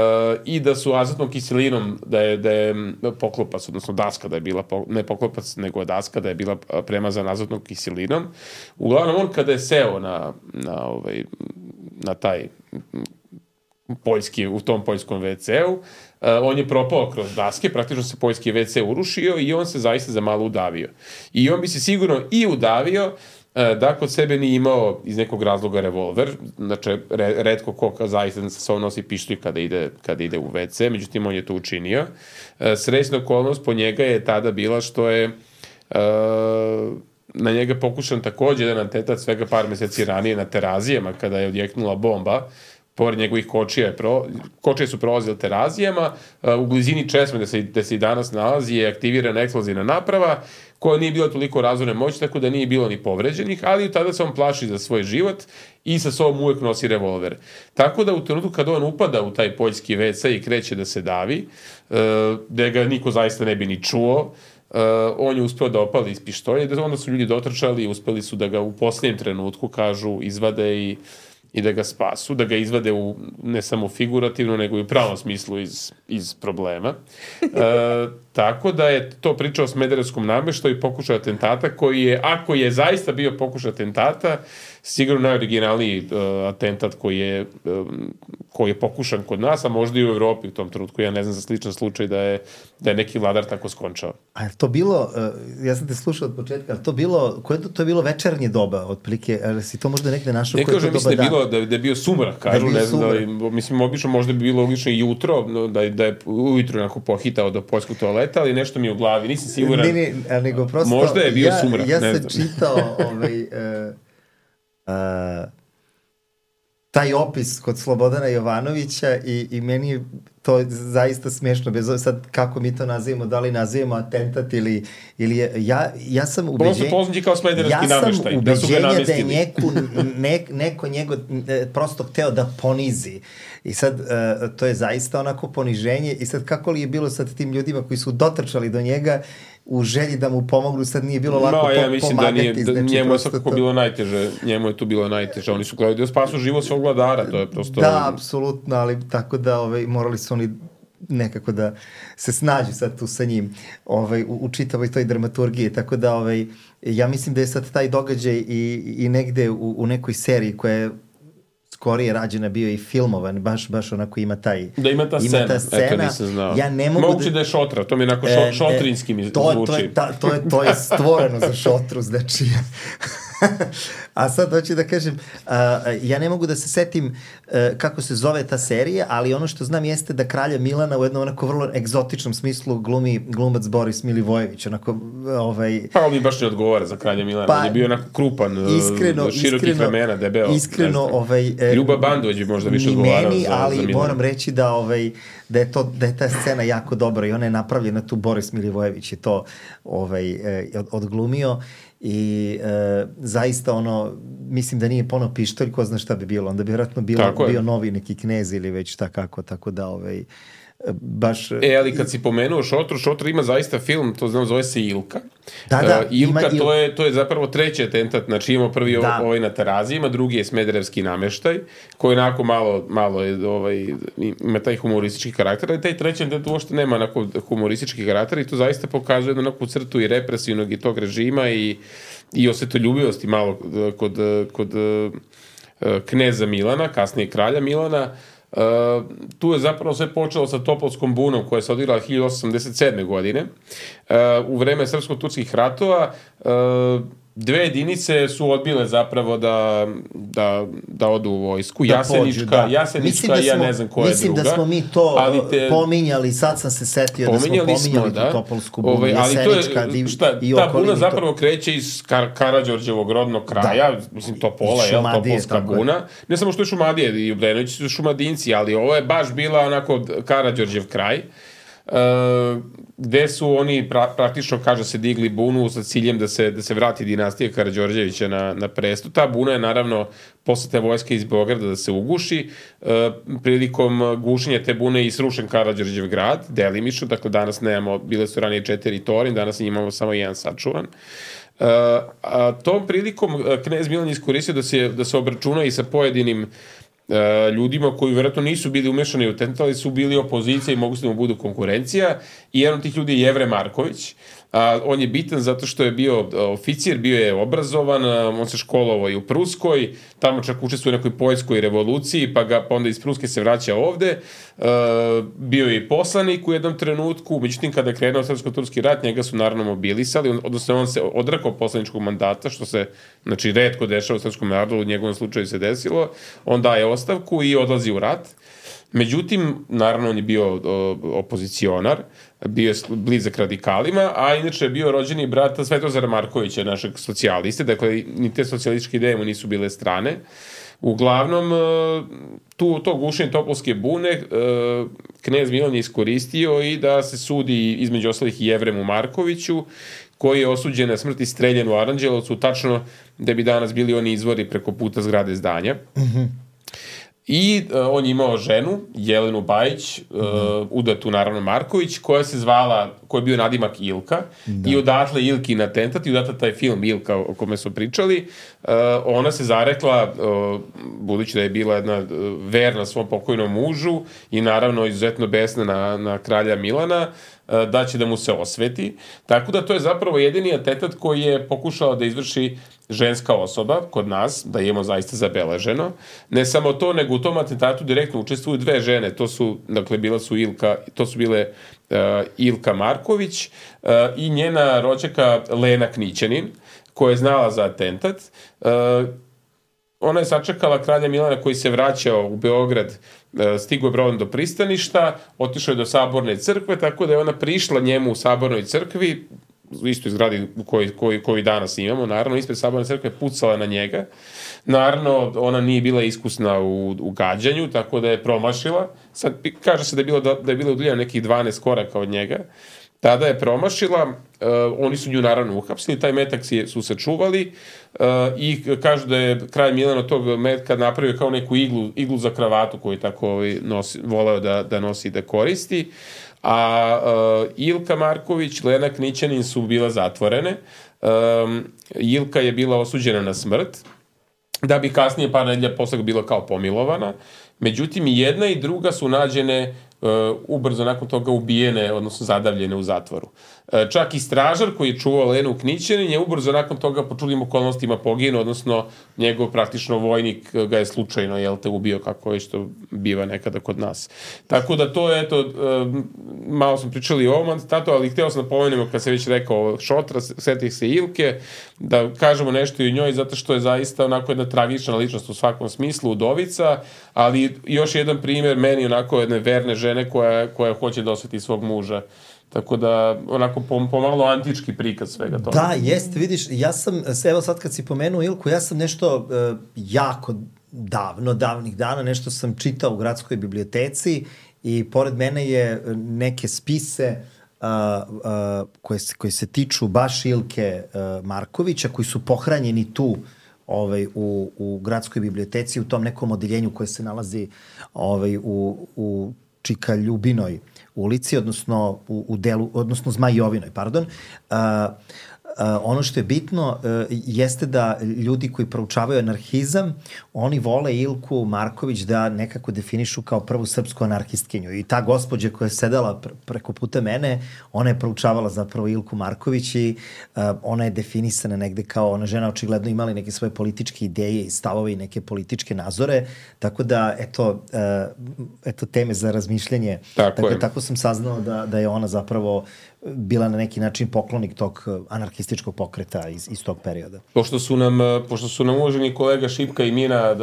i da su azotnom kiselinom, da je, da je poklopac, odnosno daska, da je bila, ne poklopac, nego daska, da je bila premazana azotnom kiselinom. Uglavnom, on kada je seo na, na, ovaj, na taj poljski, u tom poljskom ve ce-u, uh, on je propao kroz daske, praktično se poljski ve ce urušio i on se zaista za malo udavio. I on bi se sigurno i udavio da kod sebe nije imao iz nekog razloga revolver, znači re, redko ko zaista sa sobom nosi pištolj kada ide, kada ide u ve ce, međutim on je to učinio. Srećna okolnost po njega je tada bila što je uh, na njega pokušan takođe jedan atentat svega par meseci ranije na Terazijama kada je odjeknula bomba. Pored njegovih kočija, pro, kočije su prolazile Terazijama, u blizini česme gde se, gde se i danas nalazi je aktivirana eksplozivna naprava koja nije bila toliko razorne moći, tako da nije bilo ni povređenih, ali tada se on plaši za svoj život i sa sobom uvek nosi revolver. Tako da u trenutku kada on upada u taj poljski ve ce i kreće da se davi, da ga niko zaista ne bi ni čuo, on je uspeo da opali iz pištolja i onda su ljudi dotrčali i uspeli su da ga u posljednjem trenutku, kažu, izvade i i da ga spasu, da ga izvade u, ne samo figurativno, nego i u pravom smislu iz, iz problema. E, tako da je to priča o smederevskom nameštaju i pokušaj atentata, koji je, ako je zaista bio pokušaj atentata, sigurno najoriginalniji uh, atentat koji je, um, koji je pokušan kod nas, a možda i u Evropi u tom trenutku. Ja ne znam za sličan slučaj da je, da je neki vladar tako skončao. A je to bilo, uh, ja sam te slušao od početka, ali to bilo, koje to, to je bilo večernje doba, otprilike, ali si to možda nekde našao? Ne kažem, mislim da je, bilo, da, da je bio sumrak, kažu, ne znam, da li, mislim, obično možda bi bilo logično i jutro, da, da je ujutro onako pohitao do poljskog toaleta, ali nešto mi je u glavi, nisam siguran. Ne, ne, nego prosto, možda je bio ja, sumrak, ja ne sam znam. čitao ovaj... Uh, Uh, taj opis kod Slobodana Jovanovića i, i meni je to zaista smiješno, bez ove sad kako mi to nazivamo, da li nazivamo atentat ili, ili je, ja, ja sam ubeđen, kao smederevski ja nameštaj, sam da su ga ubeđenja da je namestili. neku, ne, neko njego prosto hteo da ponizi i sad uh, to je zaista onako poniženje i sad kako li je bilo sad tim ljudima koji su dotrčali do njega u želji da mu pomognu, sad nije bilo lako no, ja mislim pomagati. Da nije, da, znači, njemu je svakako to... bilo najteže, njemu je tu bilo najteže. Oni su gledali da spasu život svog vladara, to je prosto... Da, apsolutno, ali tako da ovaj, morali su oni nekako da se snađu sad tu sa njim ovaj, u, u čitavoj toj dramaturgiji, tako da ovaj, ja mislim da je sad taj događaj i, i negde u, u nekoj seriji koja je skorije rađena bio i filmovan, baš, baš onako ima taj... Da ima ta scena, ima ta scena. Eto nisam znao. Ja ne mogu Moguće da... da je šotra, to mi je onako šo, šotrinski mi to, zvuči. To je, ta, to, je, to je stvoreno za šotru, znači... A sad hoću da kažem, uh, ja ne mogu da se setim uh, kako se zove ta serija, ali ono što znam jeste da kralja Milana u jednom onako vrlo egzotičnom smislu glumi glumac Boris Milivojević, onako ovaj... Pa mi baš ne odgovara za kralja Milana, pa, on je bio onako krupan, iskreno, širokih iskreno, ramena, debeo. Iskreno, ovaj... E, Ljuba Bandović bi možda više odgovarao meni, za, ali za Milana. Moram reći da, ovaj, da, je to, da je ta scena jako dobra i ona je napravljena tu, Boris Milivojević je to ovaj, od, odglumio. I e, zaista ono, mislim da nije pono pištolj, ko zna šta bi bilo, onda bi vjerojatno bilo, bio novi neki knez ili već šta kako, tako da ovaj, baš... E, ali kad si pomenuo Šotru, Šotra ima zaista film, to znam, zove se Ilka. Da, da. Uh, Ilka, ima, to, je, to je zapravo treći atentat, znači imamo prvi da. ovaj na Terazijima, drugi je smederevski nameštaj, koji onako malo, malo je, ovaj, ima taj humoristički karakter, ali taj treći atentat uopšte nema onako humoristički karakter i to zaista pokazuje jednu onakvu crtu i represivnog i tog režima i, i osvetoljubivosti malo kod, kod uh, kneza Milana, kasnije kralja Milana. Uh, tu je zapravo sve počelo sa Topolskom bunom koja se odigrala hiljadu osamsto osamdeset sedme. godine. Uh, u vreme srpsko-turskih ratova uh, dve jedinice su odbile zapravo da, da, da odu u vojsku. Da Jasenička, pođu, da. Jasenička da smo, ja ne znam koja je druga. Mislim da smo mi to ali te, pominjali, sad sam se setio da smo pominjali smo, da. Topolsku bunu, Ove, Jasenička je, šta, i ta buna zapravo to... kreće iz Kar Karađorđevog rodnog kraja, da. Mislim Topola, je Topolska buna. Ne samo što je Šumadije, i Obrenovići su Šumadinci, ali ovo je baš bila onako Karađorđev kraj. Uh, gde su oni pra, praktično, kaže se, digli bunu sa ciljem da se, da se vrati dinastija Karađorđevića na, na presto. Ta buna je naravno posle te vojske iz Beograda da se uguši. Uh, prilikom gušenja te bune i srušen Karađorđev grad, delimično, dakle danas nemamo, bile su ranije četiri torin, danas imamo samo jedan sačuvan. Uh, a tom prilikom knez Milan je iskoristio da se, da se obračuna i sa pojedinim Uh, ljudima koji vjerojatno nisu bili umešani u atentat, ali su bili opozicija i mogu se da mu budu konkurencija. I jedan od tih ljudi je Jevre Marković. Uh, on je bitan zato što je bio uh, oficir, bio je obrazovan, uh, on se školovao i u Pruskoj, tamo čak učestvuje u nekoj poljskoj revoluciji, pa, ga, pa onda iz Pruske se vraća ovde. Uh, bio je i poslanik u jednom trenutku, međutim kada je krenuo srpsko-turski rat, njega su naravno mobilisali, on, odnosno on se odrekao poslaničkog mandata, što se, znači, retko dešava u srpskom narodu, u njegovom slučaju se desilo. On daje ostavku i odlazi u rat. Međutim, naravno, on je bio o, opozicionar, bio je blizak radikalima, a inače je bio rođeni brat Svetozara Markovića, našeg socijaliste, dakle, ni te socijalističke ideje mu nisu bile strane. Uglavnom, tu, to gušenje Topolske bune knez Milan je iskoristio i da se sudi između ostalih i Jevremu Markoviću, koji je osuđen na smrt i streljen u Aranđelovcu, tačno da bi danas bili oni izvori preko puta zgrade zdanja. Mm-hmm. I uh, on je imao ženu, Jelenu Bajić, uh, mm-hmm. udatu naravno Marković, koja se zvala, koja je bio nadimak Ilka, da. I odatle Ilki na atentat, i odatle taj film Ilka o kome smo pričali. Uh, ona se zarekla, uh, budući da je bila jedna uh, verna svom pokojnom mužu i naravno izuzetno besna na, na kralja Milana, uh, da će da mu se osveti. Tako da to je zapravo jedini atentat koji je pokušao da izvrši ženska osoba kod nas, da imamo zaista zabeleženo. Ne samo to, nego u tom atentatu direktno učestvuju dve žene. To su, dakle, bila su Ilka, to su bile uh, Ilka Marković uh, i njena rođaka Lena Knićanin, koja je znala za atentat. Uh, ona je sačekala kralja Milana koji se vraćao u Beograd, uh, stigao je brodom do pristaništa, otišao je do Saborne crkve, tako da je ona prišla njemu u Sabornoj crkvi, u istoj zgradi koji, koji, koji danas imamo, naravno, ispred Saborne crkve, pucala na njega. Naravno, ona nije bila iskusna u, u gađanju, tako da je promašila. Sad, kaže se da je bila, da, da je bila udaljena nekih dvanaest koraka od njega. Tada je promašila, uh, oni su nju naravno uhapsili, taj metak si, su sačuvali uh, i kažu da je kralj Milan od tog metka napravio kao neku iglu, iglu za kravatu koju tako ovaj, nosi, voleo da, da nosi i da koristi. A uh, Ilka Marković, Lena Knićanin su bila zatvorene. Um, Ilka je bila osuđena na smrt, da bi kasnije par nedelja posle bila kao pomilovana. Međutim, i jedna i druga su nađene uh, ubrzo nakon toga ubijene, odnosno zadavljene u zatvoru. Uh, čak i stražar koji je čuvao Lenu Knićanin je ubrzo nakon toga po čudnim okolnostima poginuo, odnosno njegov praktično vojnik ga je slučajno, jel te, ubio, kako je što biva nekada kod nas. Tako da to je, eto, uh, malo smo pričali o ovom atentatu, ali hteo sam da pomenemo, kad se već rekao Šotra, setih se Ilke, da kažemo nešto i o njoj, zato što je zaista onako jedna tragična ličnost u svakom smislu, udovica, ali još jedan primjer meni onako jedne verne žene koja, koja hoće da osveti svog muža. Tako da, onako, pomalo antički prikaz svega toga. Da, jeste, vidiš, ja sam, evo sad kad si pomenuo Ilku, ja sam nešto uh, jako davno, davnih dana, nešto sam čitao u gradskoj biblioteci i pored mene je neke spise uh, uh, koje, se, koje se tiču baš Ilke uh, Markovića, koji su pohranjeni tu ovaj, u, u gradskoj biblioteci, u tom nekom odeljenju koje se nalazi ovaj, u, u Čika Ljubinoj ulici, odnosno u, u delu, odnosno Zmajovinoj, pardon. Uh, Uh, ono što je bitno uh, jeste da ljudi koji proučavaju anarhizam, oni vole Ilku Marković da nekako definišu kao prvu srpsku anarhistkinju. I ta gospođa koja je sedela pre preko puta mene, ona je proučavala zapravo Ilku Marković i uh, ona je definisana negde kao ona žena očigledno imala neke svoje političke ideje i stavove i neke političke nazore. Tako da, eto, uh, eto teme za razmišljanje. Tako, tako, tako sam saznao da, da je ona zapravo bila na neki način poklonik tog anarhističkog anarhističkog pokreta iz, iz tog perioda. Pošto su nam, pošto su nam uvaženi kolega Šipka i Mina uh,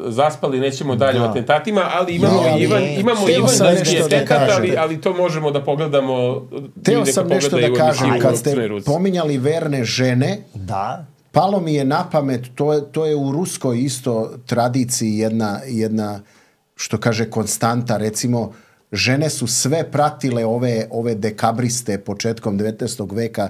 zaspali, nećemo dalje da. o atentatima, ali imamo ja, Ivan, imamo Ivan znači atentat, ali, ali to možemo da pogledamo. Teo sam nešto da kažem, kad ste pominjali verne žene, da. palo mi je na pamet, to je, to je u ruskoj isto tradiciji jedna, jedna, što kaže, konstanta, recimo, žene su sve pratile ove, ove dekabriste početkom devetnaestog veka,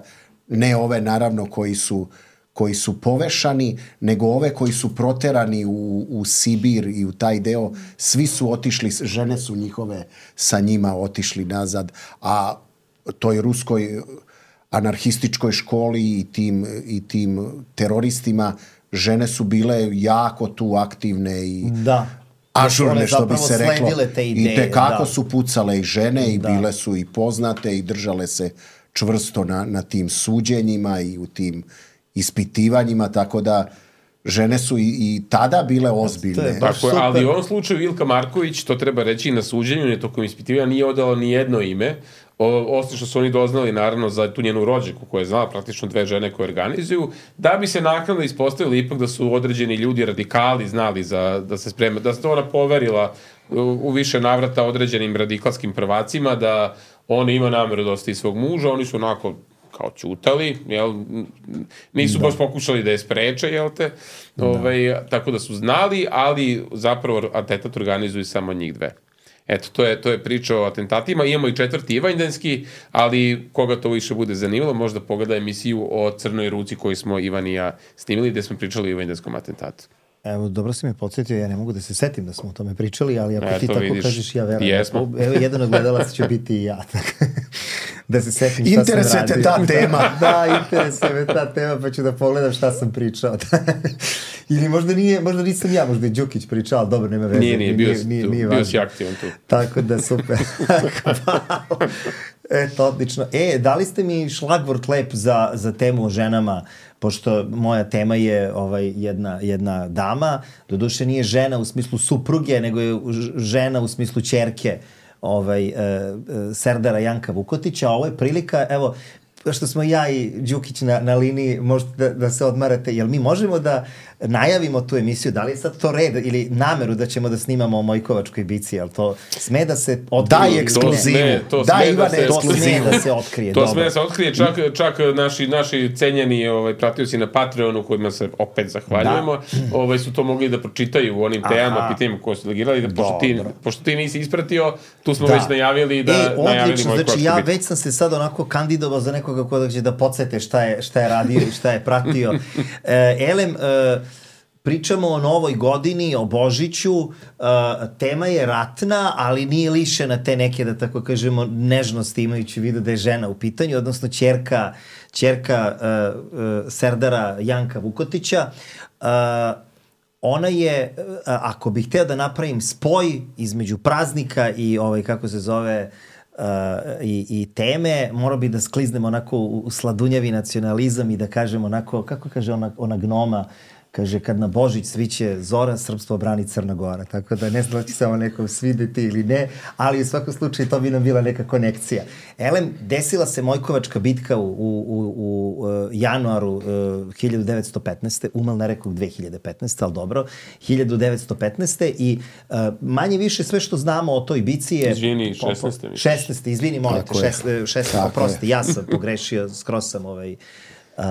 ne ove naravno koji su, koji su povešani, nego ove koji su proterani u, u Sibir i u taj deo, svi su otišli, žene su njihove sa njima otišli nazad, a toj ruskoj anarhističkoj školi i tim, i tim teroristima žene su bile jako tu aktivne i da. ažurne, što bi se reklo. Te ideje, i tekako da. su pucale i žene i da. bile su i poznate i držale se čvrsto na, na tim suđenjima i u tim ispitivanjima, tako da žene su i, i tada bile ozbiljne. Tako je, ali u ovom slučaju Ilka Marković, to treba reći, na suđenju, ne tokom ispitivanja, nije odala ni jedno ime, osim što su oni doznali naravno za tu njenu rođaku koja je znala praktično dve žene koje organizuju, da bi se naknadno ispostavili ipak da su određeni ljudi radikali znali za, da se sprema, da se to ona poverila u, u više navrata određenim radikalskim prvacima, da ona ima nameru da ostavi svog muža, oni su onako kao ćutali, jel, nisu da. baš pokušali da je spreče, jel te, da. Ovaj, tako da su znali, ali zapravo atentat organizuju samo njih dve. Eto, to je, to je priča o atentatima. Imamo i četvrti Ivanjdanski, ali koga to više bude zanimalo, možda pogleda emisiju o Crnoj ruci koju smo Ivan i ja snimili, gde smo pričali o Ivanjdanskom atentatu. Evo, dobro si me podsjetio, ja ne mogu da se setim da smo o tome pričali, ali ako e, ti tako vidiš. Kažeš, ja verujem. Jesmo. Evo, jedan od gledalaca će biti i ja. Da se setim šta interesuje sam radio. Interesuje te ta tema. Da, interesuje me ta tema, pa ću da pogledam šta sam pričao. Ili možda nije, možda nisam ja, možda je Đukić pričao, ali dobro, nema veze. Nije, nije, bio, nije, nije, nije bio si aktivan tu. Tako da, super. Eto, odlično. E, dali ste mi šlagvort lep za, za temu o ženama, pošto moja tema je ovaj, jedna, jedna dama, doduše nije žena u smislu supruge, nego je žena u smislu ćerke ovaj, e, Serdara Janka Vukotića. Ovo je prilika, evo, što smo ja i Đukić na, na liniji, možete da, da se odmarate, jel mi možemo da najavimo tu emisiju, da li je sad to red ili nameru da ćemo da snimamo o Mojkovačkoj bici, jel to sme da se otkrije? Daj ekskluzivu, daj Ivane ekskluzivu. To sme da se otkrije. To dobro. sme da se otkrije, čak, čak naši, naši cenjeni ovaj, pratioci na Patreonu, kojima se opet zahvaljujemo, da. ovaj, su to mogli da pročitaju u onim temama, pitanjima koje su legirali, da pošto ti, pošto ti nisi ispratio, tu smo da. već najavili da e, najavili odlično, znači ja već sam se sad onako kandidovao za nekoga ko da će da podsete šta je, šta je radio i šta je pratio. E, Elem, e, pričamo o novoj godini, o Božiću, uh, tema je ratna, ali nije lišena te neke, da tako kažemo, nežnosti, imajući vidu da je žena u pitanju, odnosno ćerka, ćerka uh, uh, Serdara Janka Vukotića. Uh, ona je, uh, ako bih hteo da napravim spoj između praznika i ovaj, kako se zove, Uh, i, i teme, morao bi da skliznem onako u, u sladunjavi nacionalizam i da kažem onako, kako kaže ona, ona gnoma, kaže, kad na Božić sviće zora, srpstvo brani Crna Gora. Tako da ne znam da će se ovo nekom svideti ili ne, ali u svakom slučaju to bi nam bila neka konekcija. Elem, desila se Mojkovačka bitka u, u, u, u januaru uh, hiljadu devetsto petnaeste. Umal ne rekao dve hiljade petnaeste, ali dobro, hiljadu devetsto petnaeste. I uh, manje više sve što znamo o toj bici je... Izvini, šesnaeste. šesnaeste, izvini, molim te, šesnaeste, oprosti, ja sam pogrešio, skroz sam ovaj... Uh,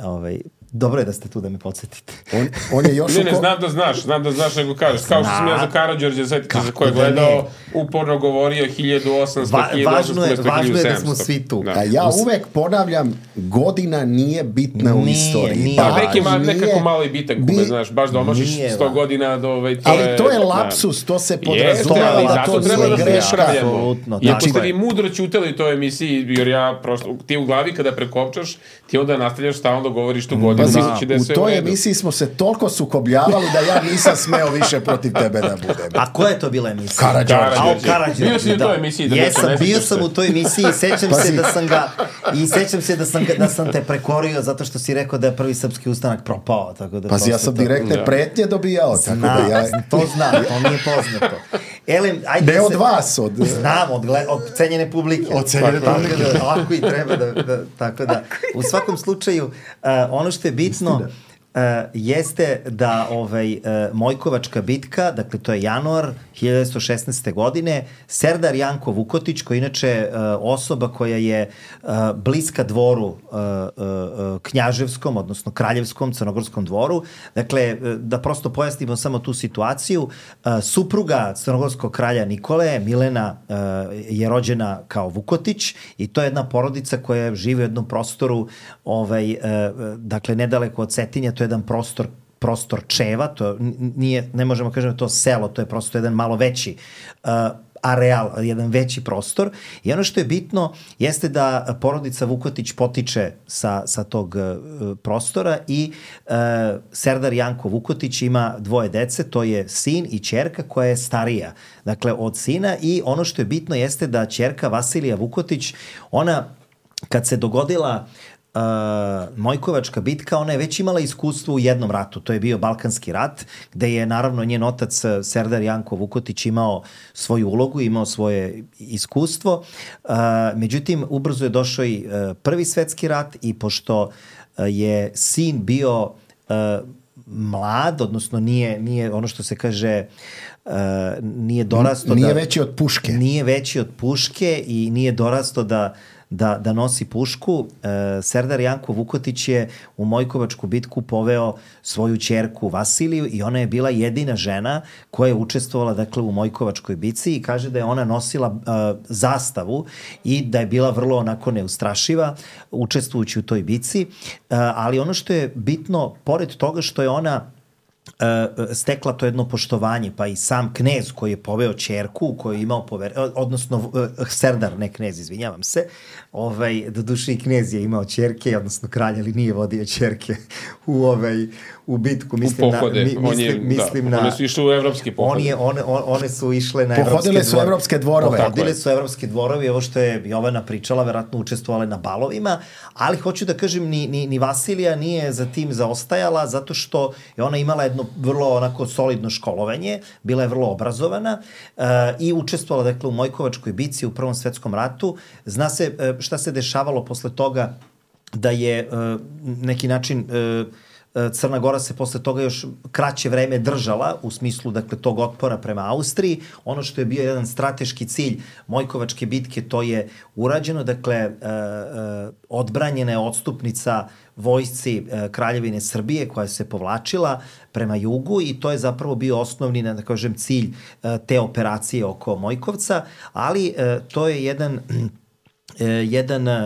ovaj dobro je da ste tu da me podsjetite. On, on je još... Ne, ne, znam da znaš, znam da znaš nego kažeš. Kao što sam ja za Karađorđe, setite za koje gledao, uporno govorio hiljadu osamsto, hiljadu osamsto, hiljadu sedamsto. Važno je da smo svi tu. Da. A ja uvek ponavljam, godina nije bitna nije, u istoriji. Nije. Pa neki ma, nekako malo i bitan kume, znaš, baš da omašiš sto godina do ovaj... To ali je, to je lapsus, to se podrazumeva, da to nije greška. I ako ste vi mudro ćutali u toj emisiji, jer ja prosto, ti u glavi kada prekopčaš, ti onda nastavljaš stalno govoriš tu godinu. Pazi, u toj emisiji smo se toliko sukobljavali da ja nisam smeo više protiv tebe da budem. A koja je to bila emisija? Karađorđe. Karađorđe. Bio si u toj emisiji. Da Jesam, bio sam u toj emisiji i sećam se da sam ga i sećam se da sam, da sam te prekorio zato što si rekao da je prvi srpski ustanak propao. Tako da Pazi, ja sam direktne to... pretnje dobijao. Znam, tako da ja... to znam, to mi je poznato. Elem, ajde ne da od se, vas, od... Znam, od, gled, od cenjene publike. Od cenjene publike. Da, ovako i treba da, da tako da. U svakom slučaju, uh, ono što je bitno... Istina. Uh, jeste da ovaj, uh, Mojkovačka bitka, dakle to je januar hiljadu devetsto šesnaeste. godine, Serdar Janko Vukotić, koji inače uh, osoba koja je uh, bliska dvoru uh, uh, knjaževskom, odnosno kraljevskom, crnogorskom dvoru, dakle uh, da prosto pojasnimo samo tu situaciju, uh, supruga crnogorskog kralja Nikole, Milena, uh, je rođena kao Vukotić i to je jedna porodica koja živi u jednom prostoru, ovaj, uh, dakle nedaleko od Cetinja, to je jedan prostor prostor Čeva, to nije, ne možemo kažem to selo, to je prosto jedan malo veći uh, areal, jedan veći prostor. I ono što je bitno jeste da porodica Vukotić potiče sa, sa tog uh, prostora i uh, Serdar Janko Vukotić ima dvoje dece, to je sin i ćerka koja je starija, dakle od sina, i ono što je bitno jeste da ćerka Vasilija Vukotić, ona kad se dogodila Uh, Mojkovačka bitka, ona je već imala iskustvo u jednom ratu, to je bio Balkanski rat, gde je naravno njen otac Serdar Janko Vukotić imao svoju ulogu, imao svoje iskustvo. Uh, međutim, ubrzo je došao i uh, Prvi svetski rat i pošto uh, je sin bio uh, mlad, odnosno nije, nije ono što se kaže uh, nije dorasto nije da, veći od puške. Nije veći od puške i nije dorasto da Da, da nosi pušku. E, Serdar Janko Vukotić je u Mojkovačku bitku poveo svoju ćerku Vasiliju i ona je bila jedina žena koja je učestvovala, dakle, u Mojkovačkoj bitci, i kaže da je ona nosila e, zastavu i da je bila vrlo onako neustrašiva učestvujući u toj bitci, e, ali ono što je bitno, pored toga što je ona Uh, stekla to jedno poštovanje, pa i sam knez koji je poveo ćerku, koji je imao pover... odnosno uh, Serdar, ne knez, izvinjavam se, ovaj, do duše i knez je imao ćerke, odnosno kralj, ali nije vodio ćerke u, ovaj, u bitku. Mislim u pohode. Na, mi, mislim, je, mislim da, na, one su išle u evropski pohode. On je, one, on, one su išle na evropske Pohodile su dvore. evropske dvorove. Pohodile su evropske dvorove i ovo što je Jovana pričala, verovatno učestvovale na balovima, ali hoću da kažem, ni, ni, ni Vasilija nije za tim zaostajala, zato što je ona imala jedno vrlo onako solidno školovanje, bila je vrlo obrazovana uh, i učestvovala, dakle, u Mojkovačkoj bici u Prvom svetskom ratu. Zna se uh, šta se dešavalo posle toga, da je uh, neki način uh, Crna Gora se posle toga još kraće vreme držala u smislu, dakle, tog otpora prema Austriji. Ono što je bio jedan strateški cilj Mojkovačke bitke, to je urađeno, dakle, uh, uh, odbranjena je odstupnica vojsci uh, Kraljevine Srbije koja se povlačila prema jugu i to je zapravo bio osnovni, da kažem, cilj uh, te operacije oko Mojkovca, ali uh, to je jedan jedan uh,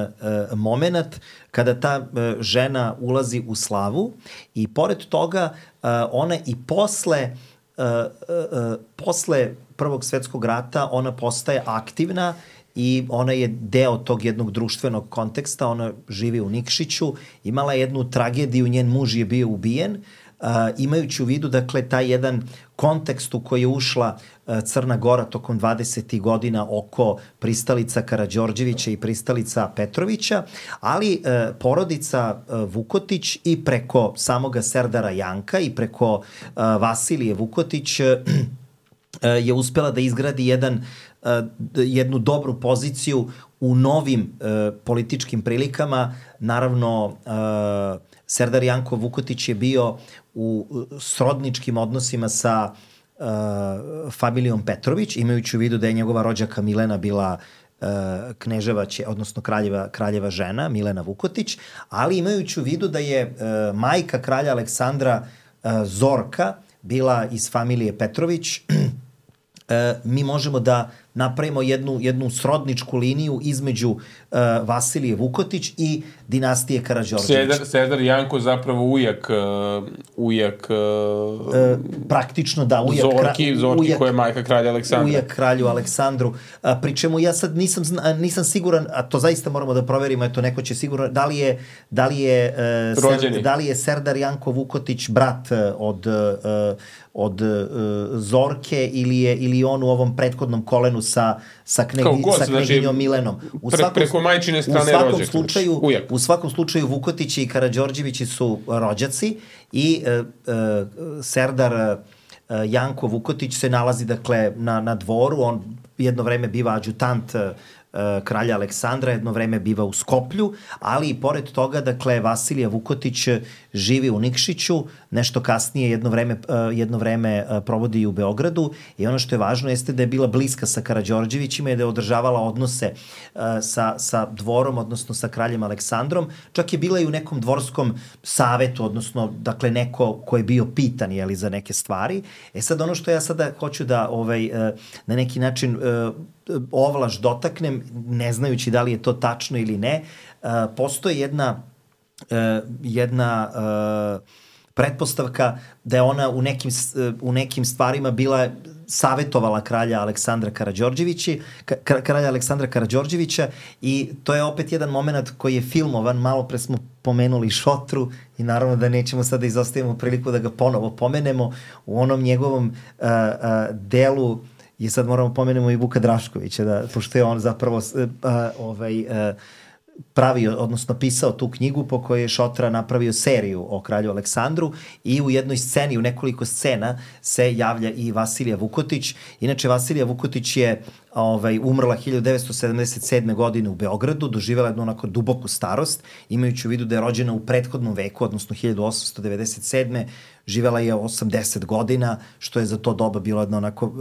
moment kada ta uh, žena ulazi u slavu i pored toga uh, ona i posle uh, uh, posle Prvog svetskog rata ona postaje aktivna i ona je deo tog jednog društvenog konteksta, ona živi u Nikšiću, imala jednu tragediju, njen muž je bio ubijen, uh, imajući u vidu, dakle, taj jedan kontekst u koji je ušla uh, Crna Gora tokom dvadesetih godina oko pristalica Karađorđevića i pristalica Petrovića, ali uh, porodica uh, Vukotić i preko samoga Serdara Janka i preko uh, Vasilije Vukotić uh, je uspela da izgradi jedan, uh, jednu dobru poziciju u novim uh, političkim prilikama. Naravno, uh, Serdar Janko Vukotić je bio u srodničkim odnosima sa uh, familijom Petrović, imajući u vidu da je njegova rođaka Milena bila uh, kneževa, će, odnosno kraljeva, kraljeva žena, Milena Vukotić, ali imajući u vidu da je uh, majka kralja Aleksandra uh, Zorka bila iz familije Petrović, E, mi možemo da napravimo jednu, jednu srodničku liniju između uh, Vasilije Vukotić i dinastije Karađorđević. Serdar, Serdar Janko zapravo ujak, uh, ujak uh, e, praktično da, ujak, Zorki, Zorki ujak, koja je majka kralja Aleksandra. Ujak kralju Aleksandru. A, pri čemu ja sad nisam, nisam siguran, a to zaista moramo da proverimo, eto neko će sigurno, da li je, da li je, uh, Ser, da li je Serdar Janko Vukotić brat od, uh, od uh, Zorke ili je ili on u ovom prethodnom kolenu sa, sa, knegi, sa kneginjom znači, Milenom. U pre, svakom, preko majčine strane u svakom rođak, slučaju, ujak. U svakom slučaju Vukotići i Karađorđevići su rođaci i uh, uh, Serdar Janko Vukotić se nalazi dakle na, na dvoru, on jedno vreme biva adjutant kralja Aleksandra, jedno vreme biva u Skoplju, ali i pored toga, dakle, Vasilija Vukotić živi u Nikšiću, nešto kasnije jedno vreme, jedno vreme provodi i u Beogradu i ono što je važno jeste da je bila bliska sa Karađorđevićima i da je održavala odnose sa, sa dvorom, odnosno sa kraljem Aleksandrom. Čak je bila i u nekom dvorskom savetu, odnosno, dakle, neko ko je bio pitan, jeli, za neke stvari. E sad, ono što ja sada hoću da, ovaj, na neki način ovlaš dotaknem, ne znajući da li je to tačno ili ne, uh, postoji jedna, uh, jedna uh, pretpostavka da je ona u nekim, uh, u nekim stvarima bila savjetovala kralja Aleksandra Karađorđevića, ka, kralja Aleksandra Karađorđevića i to je opet jedan moment koji je filmovan, malo pre smo pomenuli Šotru i naravno da nećemo sada izostavimo priliku da ga ponovo pomenemo u onom njegovom uh, uh, delu. I sad moramo pomenemo i Vuka Draškovića, da, pošto je on zapravo uh, ovaj, uh, pravio, odnosno pisao tu knjigu po kojoj je Šotra napravio seriju o kralju Aleksandru i u jednoj sceni, u nekoliko scena se javlja i Vasilija Vukotić. Inače, Vasilija Vukotić je ovaj, umrla hiljadu devetsto sedamdeset sedme. godine u Beogradu, doživjela jednu onako duboku starost, imajući u vidu da je rođena u prethodnom veku, odnosno hiljadu osamsto devedeset sedme. Živela je osamdeset godina, što je za to doba bilo jedno onako,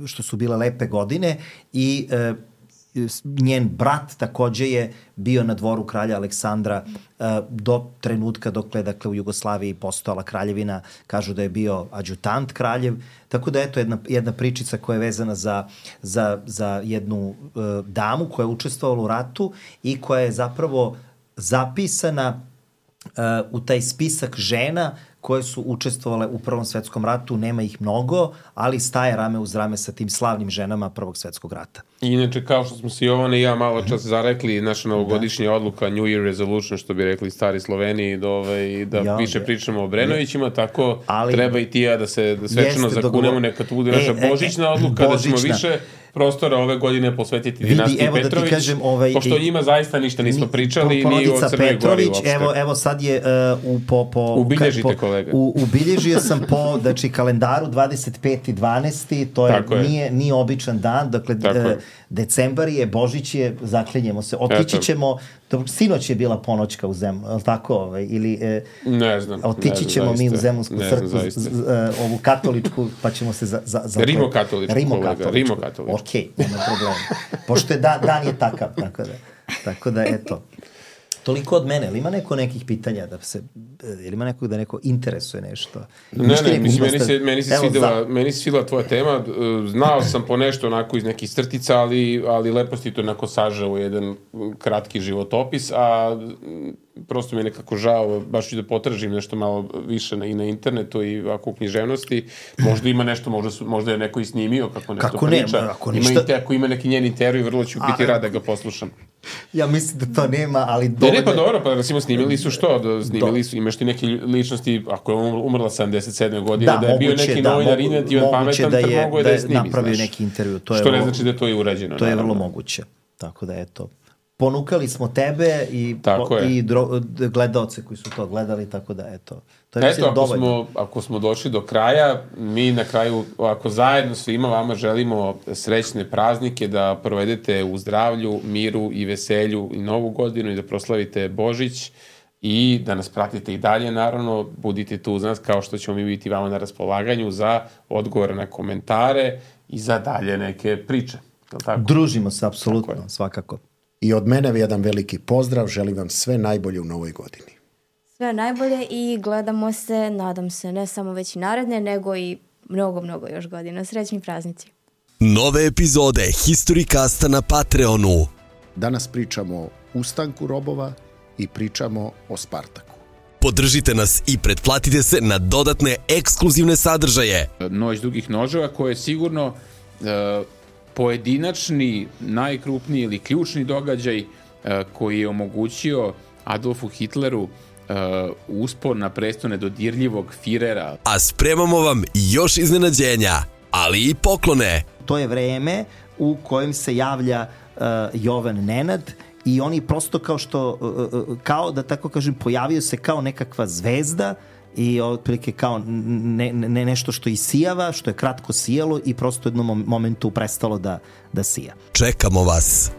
što su bile lepe godine i njen brat takođe je bio na dvoru kralja Aleksandra uh, do trenutka dokle dakle, u Jugoslaviji postojala kraljevina, kažu da je bio adjutant kraljev, tako da eto jedna, jedna pričica koja je vezana za, za, za jednu uh, damu koja je učestvovala u ratu i koja je zapravo zapisana uh, u taj spisak žena koje su učestvovale u Prvom svetskom ratu, nema ih mnogo, ali staje rame uz rame sa tim slavnim ženama Prvog svetskog rata. Inače, kao što smo se Jovana i ja malo čas zarekli, naša novogodišnja odluka, New Year Resolution, što bi rekli stari Sloveniji, da, ovaj, da ja, više pričamo o Brenovićima, tako ali, treba i ti ja da se da svečano zakunemo, neka to bude naša e, božićna e, odluka, božićna. Da ćemo više prostora ove godine posvetiti dinastiji Petrović, da kažem, ovaj, pošto o njima zaista ništa nismo pričali, ni o Crnoj Gori uopšte. Evo, evo sad je uh, u, po, po, ubilježite po, kolega. U, ubilježio sam po znači, kalendaru dvadeset peti dvanaesti to je, nije, nije običan dan, dakle uh, decembar je, Božić je, zaklinjemo se, otići ćemo, sinoć je bila ponoćka u Zemunu, ali tako? Ovaj, ili, e, ne znam. Otići ćemo zaista. Mi u Zemunsku crkvu, ovu katoličku, pa ćemo se za... za, za Rimokatoličku, kolega, Rimokatoličku. Ok, nema problema. Pošto je da, dan je takav, tako da, tako da eto. Toliko od mene, ili ima neko nekih pitanja da se, ili ima nekog da neko interesuje nešto? Ne, ne, ne mislim, meni se, meni se Evo, svidela, za... meni se svidela tvoja tema, znao sam po nešto onako iz nekih crtica, ali, ali lepo si to onako sažao u jedan kratki životopis, a prosto mi je nekako žao, baš ću da potražim nešto malo više na, i na internetu i ovako u književnosti, možda ima nešto, možda, su, možda je neko i snimio kako nešto kako priča, ne, ako, ništa... ima te, ako ima neki njen intervju, vrlo ću biti a, rad da ga poslušam. Ja mislim da to nema, ali dovoljno... Ne, ne, pa dobro, pa recimo snimili su što, da, snimili su, imaš ti neke ličnosti, ako je umrla sedamdeset sedme godine, da, da je bio neki da, novinar inventivan, pametan, da je, mogo je da je snimi, napravio znaš. Neki intervju. To je što ne znači da to je urađeno. To je vrlo moguće, tako da eto. Ponukali smo tebe i, po, i dro, gledaoce koji su to gledali, tako da eto. To je eto, ako smo, ako smo došli do kraja, mi na kraju, ako zajedno svima vama želimo srećne praznike, da provedete u zdravlju, miru i veselju i novu godinu i da proslavite Božić i da nas pratite i dalje, naravno, budite tu uz nas kao što ćemo mi biti vama na raspolaganju za odgovore na komentare i za dalje neke priče. Tako? Družimo se, apsolutno, svakako. I od mene jedan veliki pozdrav, želim vam sve najbolje u novoj godini. Sve najbolje i gledamo se, nadam se, ne samo već i naredne, nego i mnogo, mnogo još godina. Srećni praznici. Nove epizode Historicasta na Patreonu. Danas pričamo o ustanku robova i pričamo o Spartaku. Podržite nas i pretplatite se na dodatne ekskluzivne sadržaje. Noć dugih noževa koje je sigurno... Uh, pojedinačni, najkrupniji ili ključni događaj uh, koji je omogućio Adolfu Hitleru uh, uspon na presto nedodirljivog Firera. A spremamo vam još iznenađenja, ali i poklone. To je vreme u kojem se javlja uh, Jovan Nenad i oni prosto kao što, uh, uh, kao da tako kažem, pojavio se kao nekakva zvezda i otprilike kao ne, ne nešto što isijava, što je kratko sijalo i prosto u jednom momentu prestalo da, da sija. Čekamo vas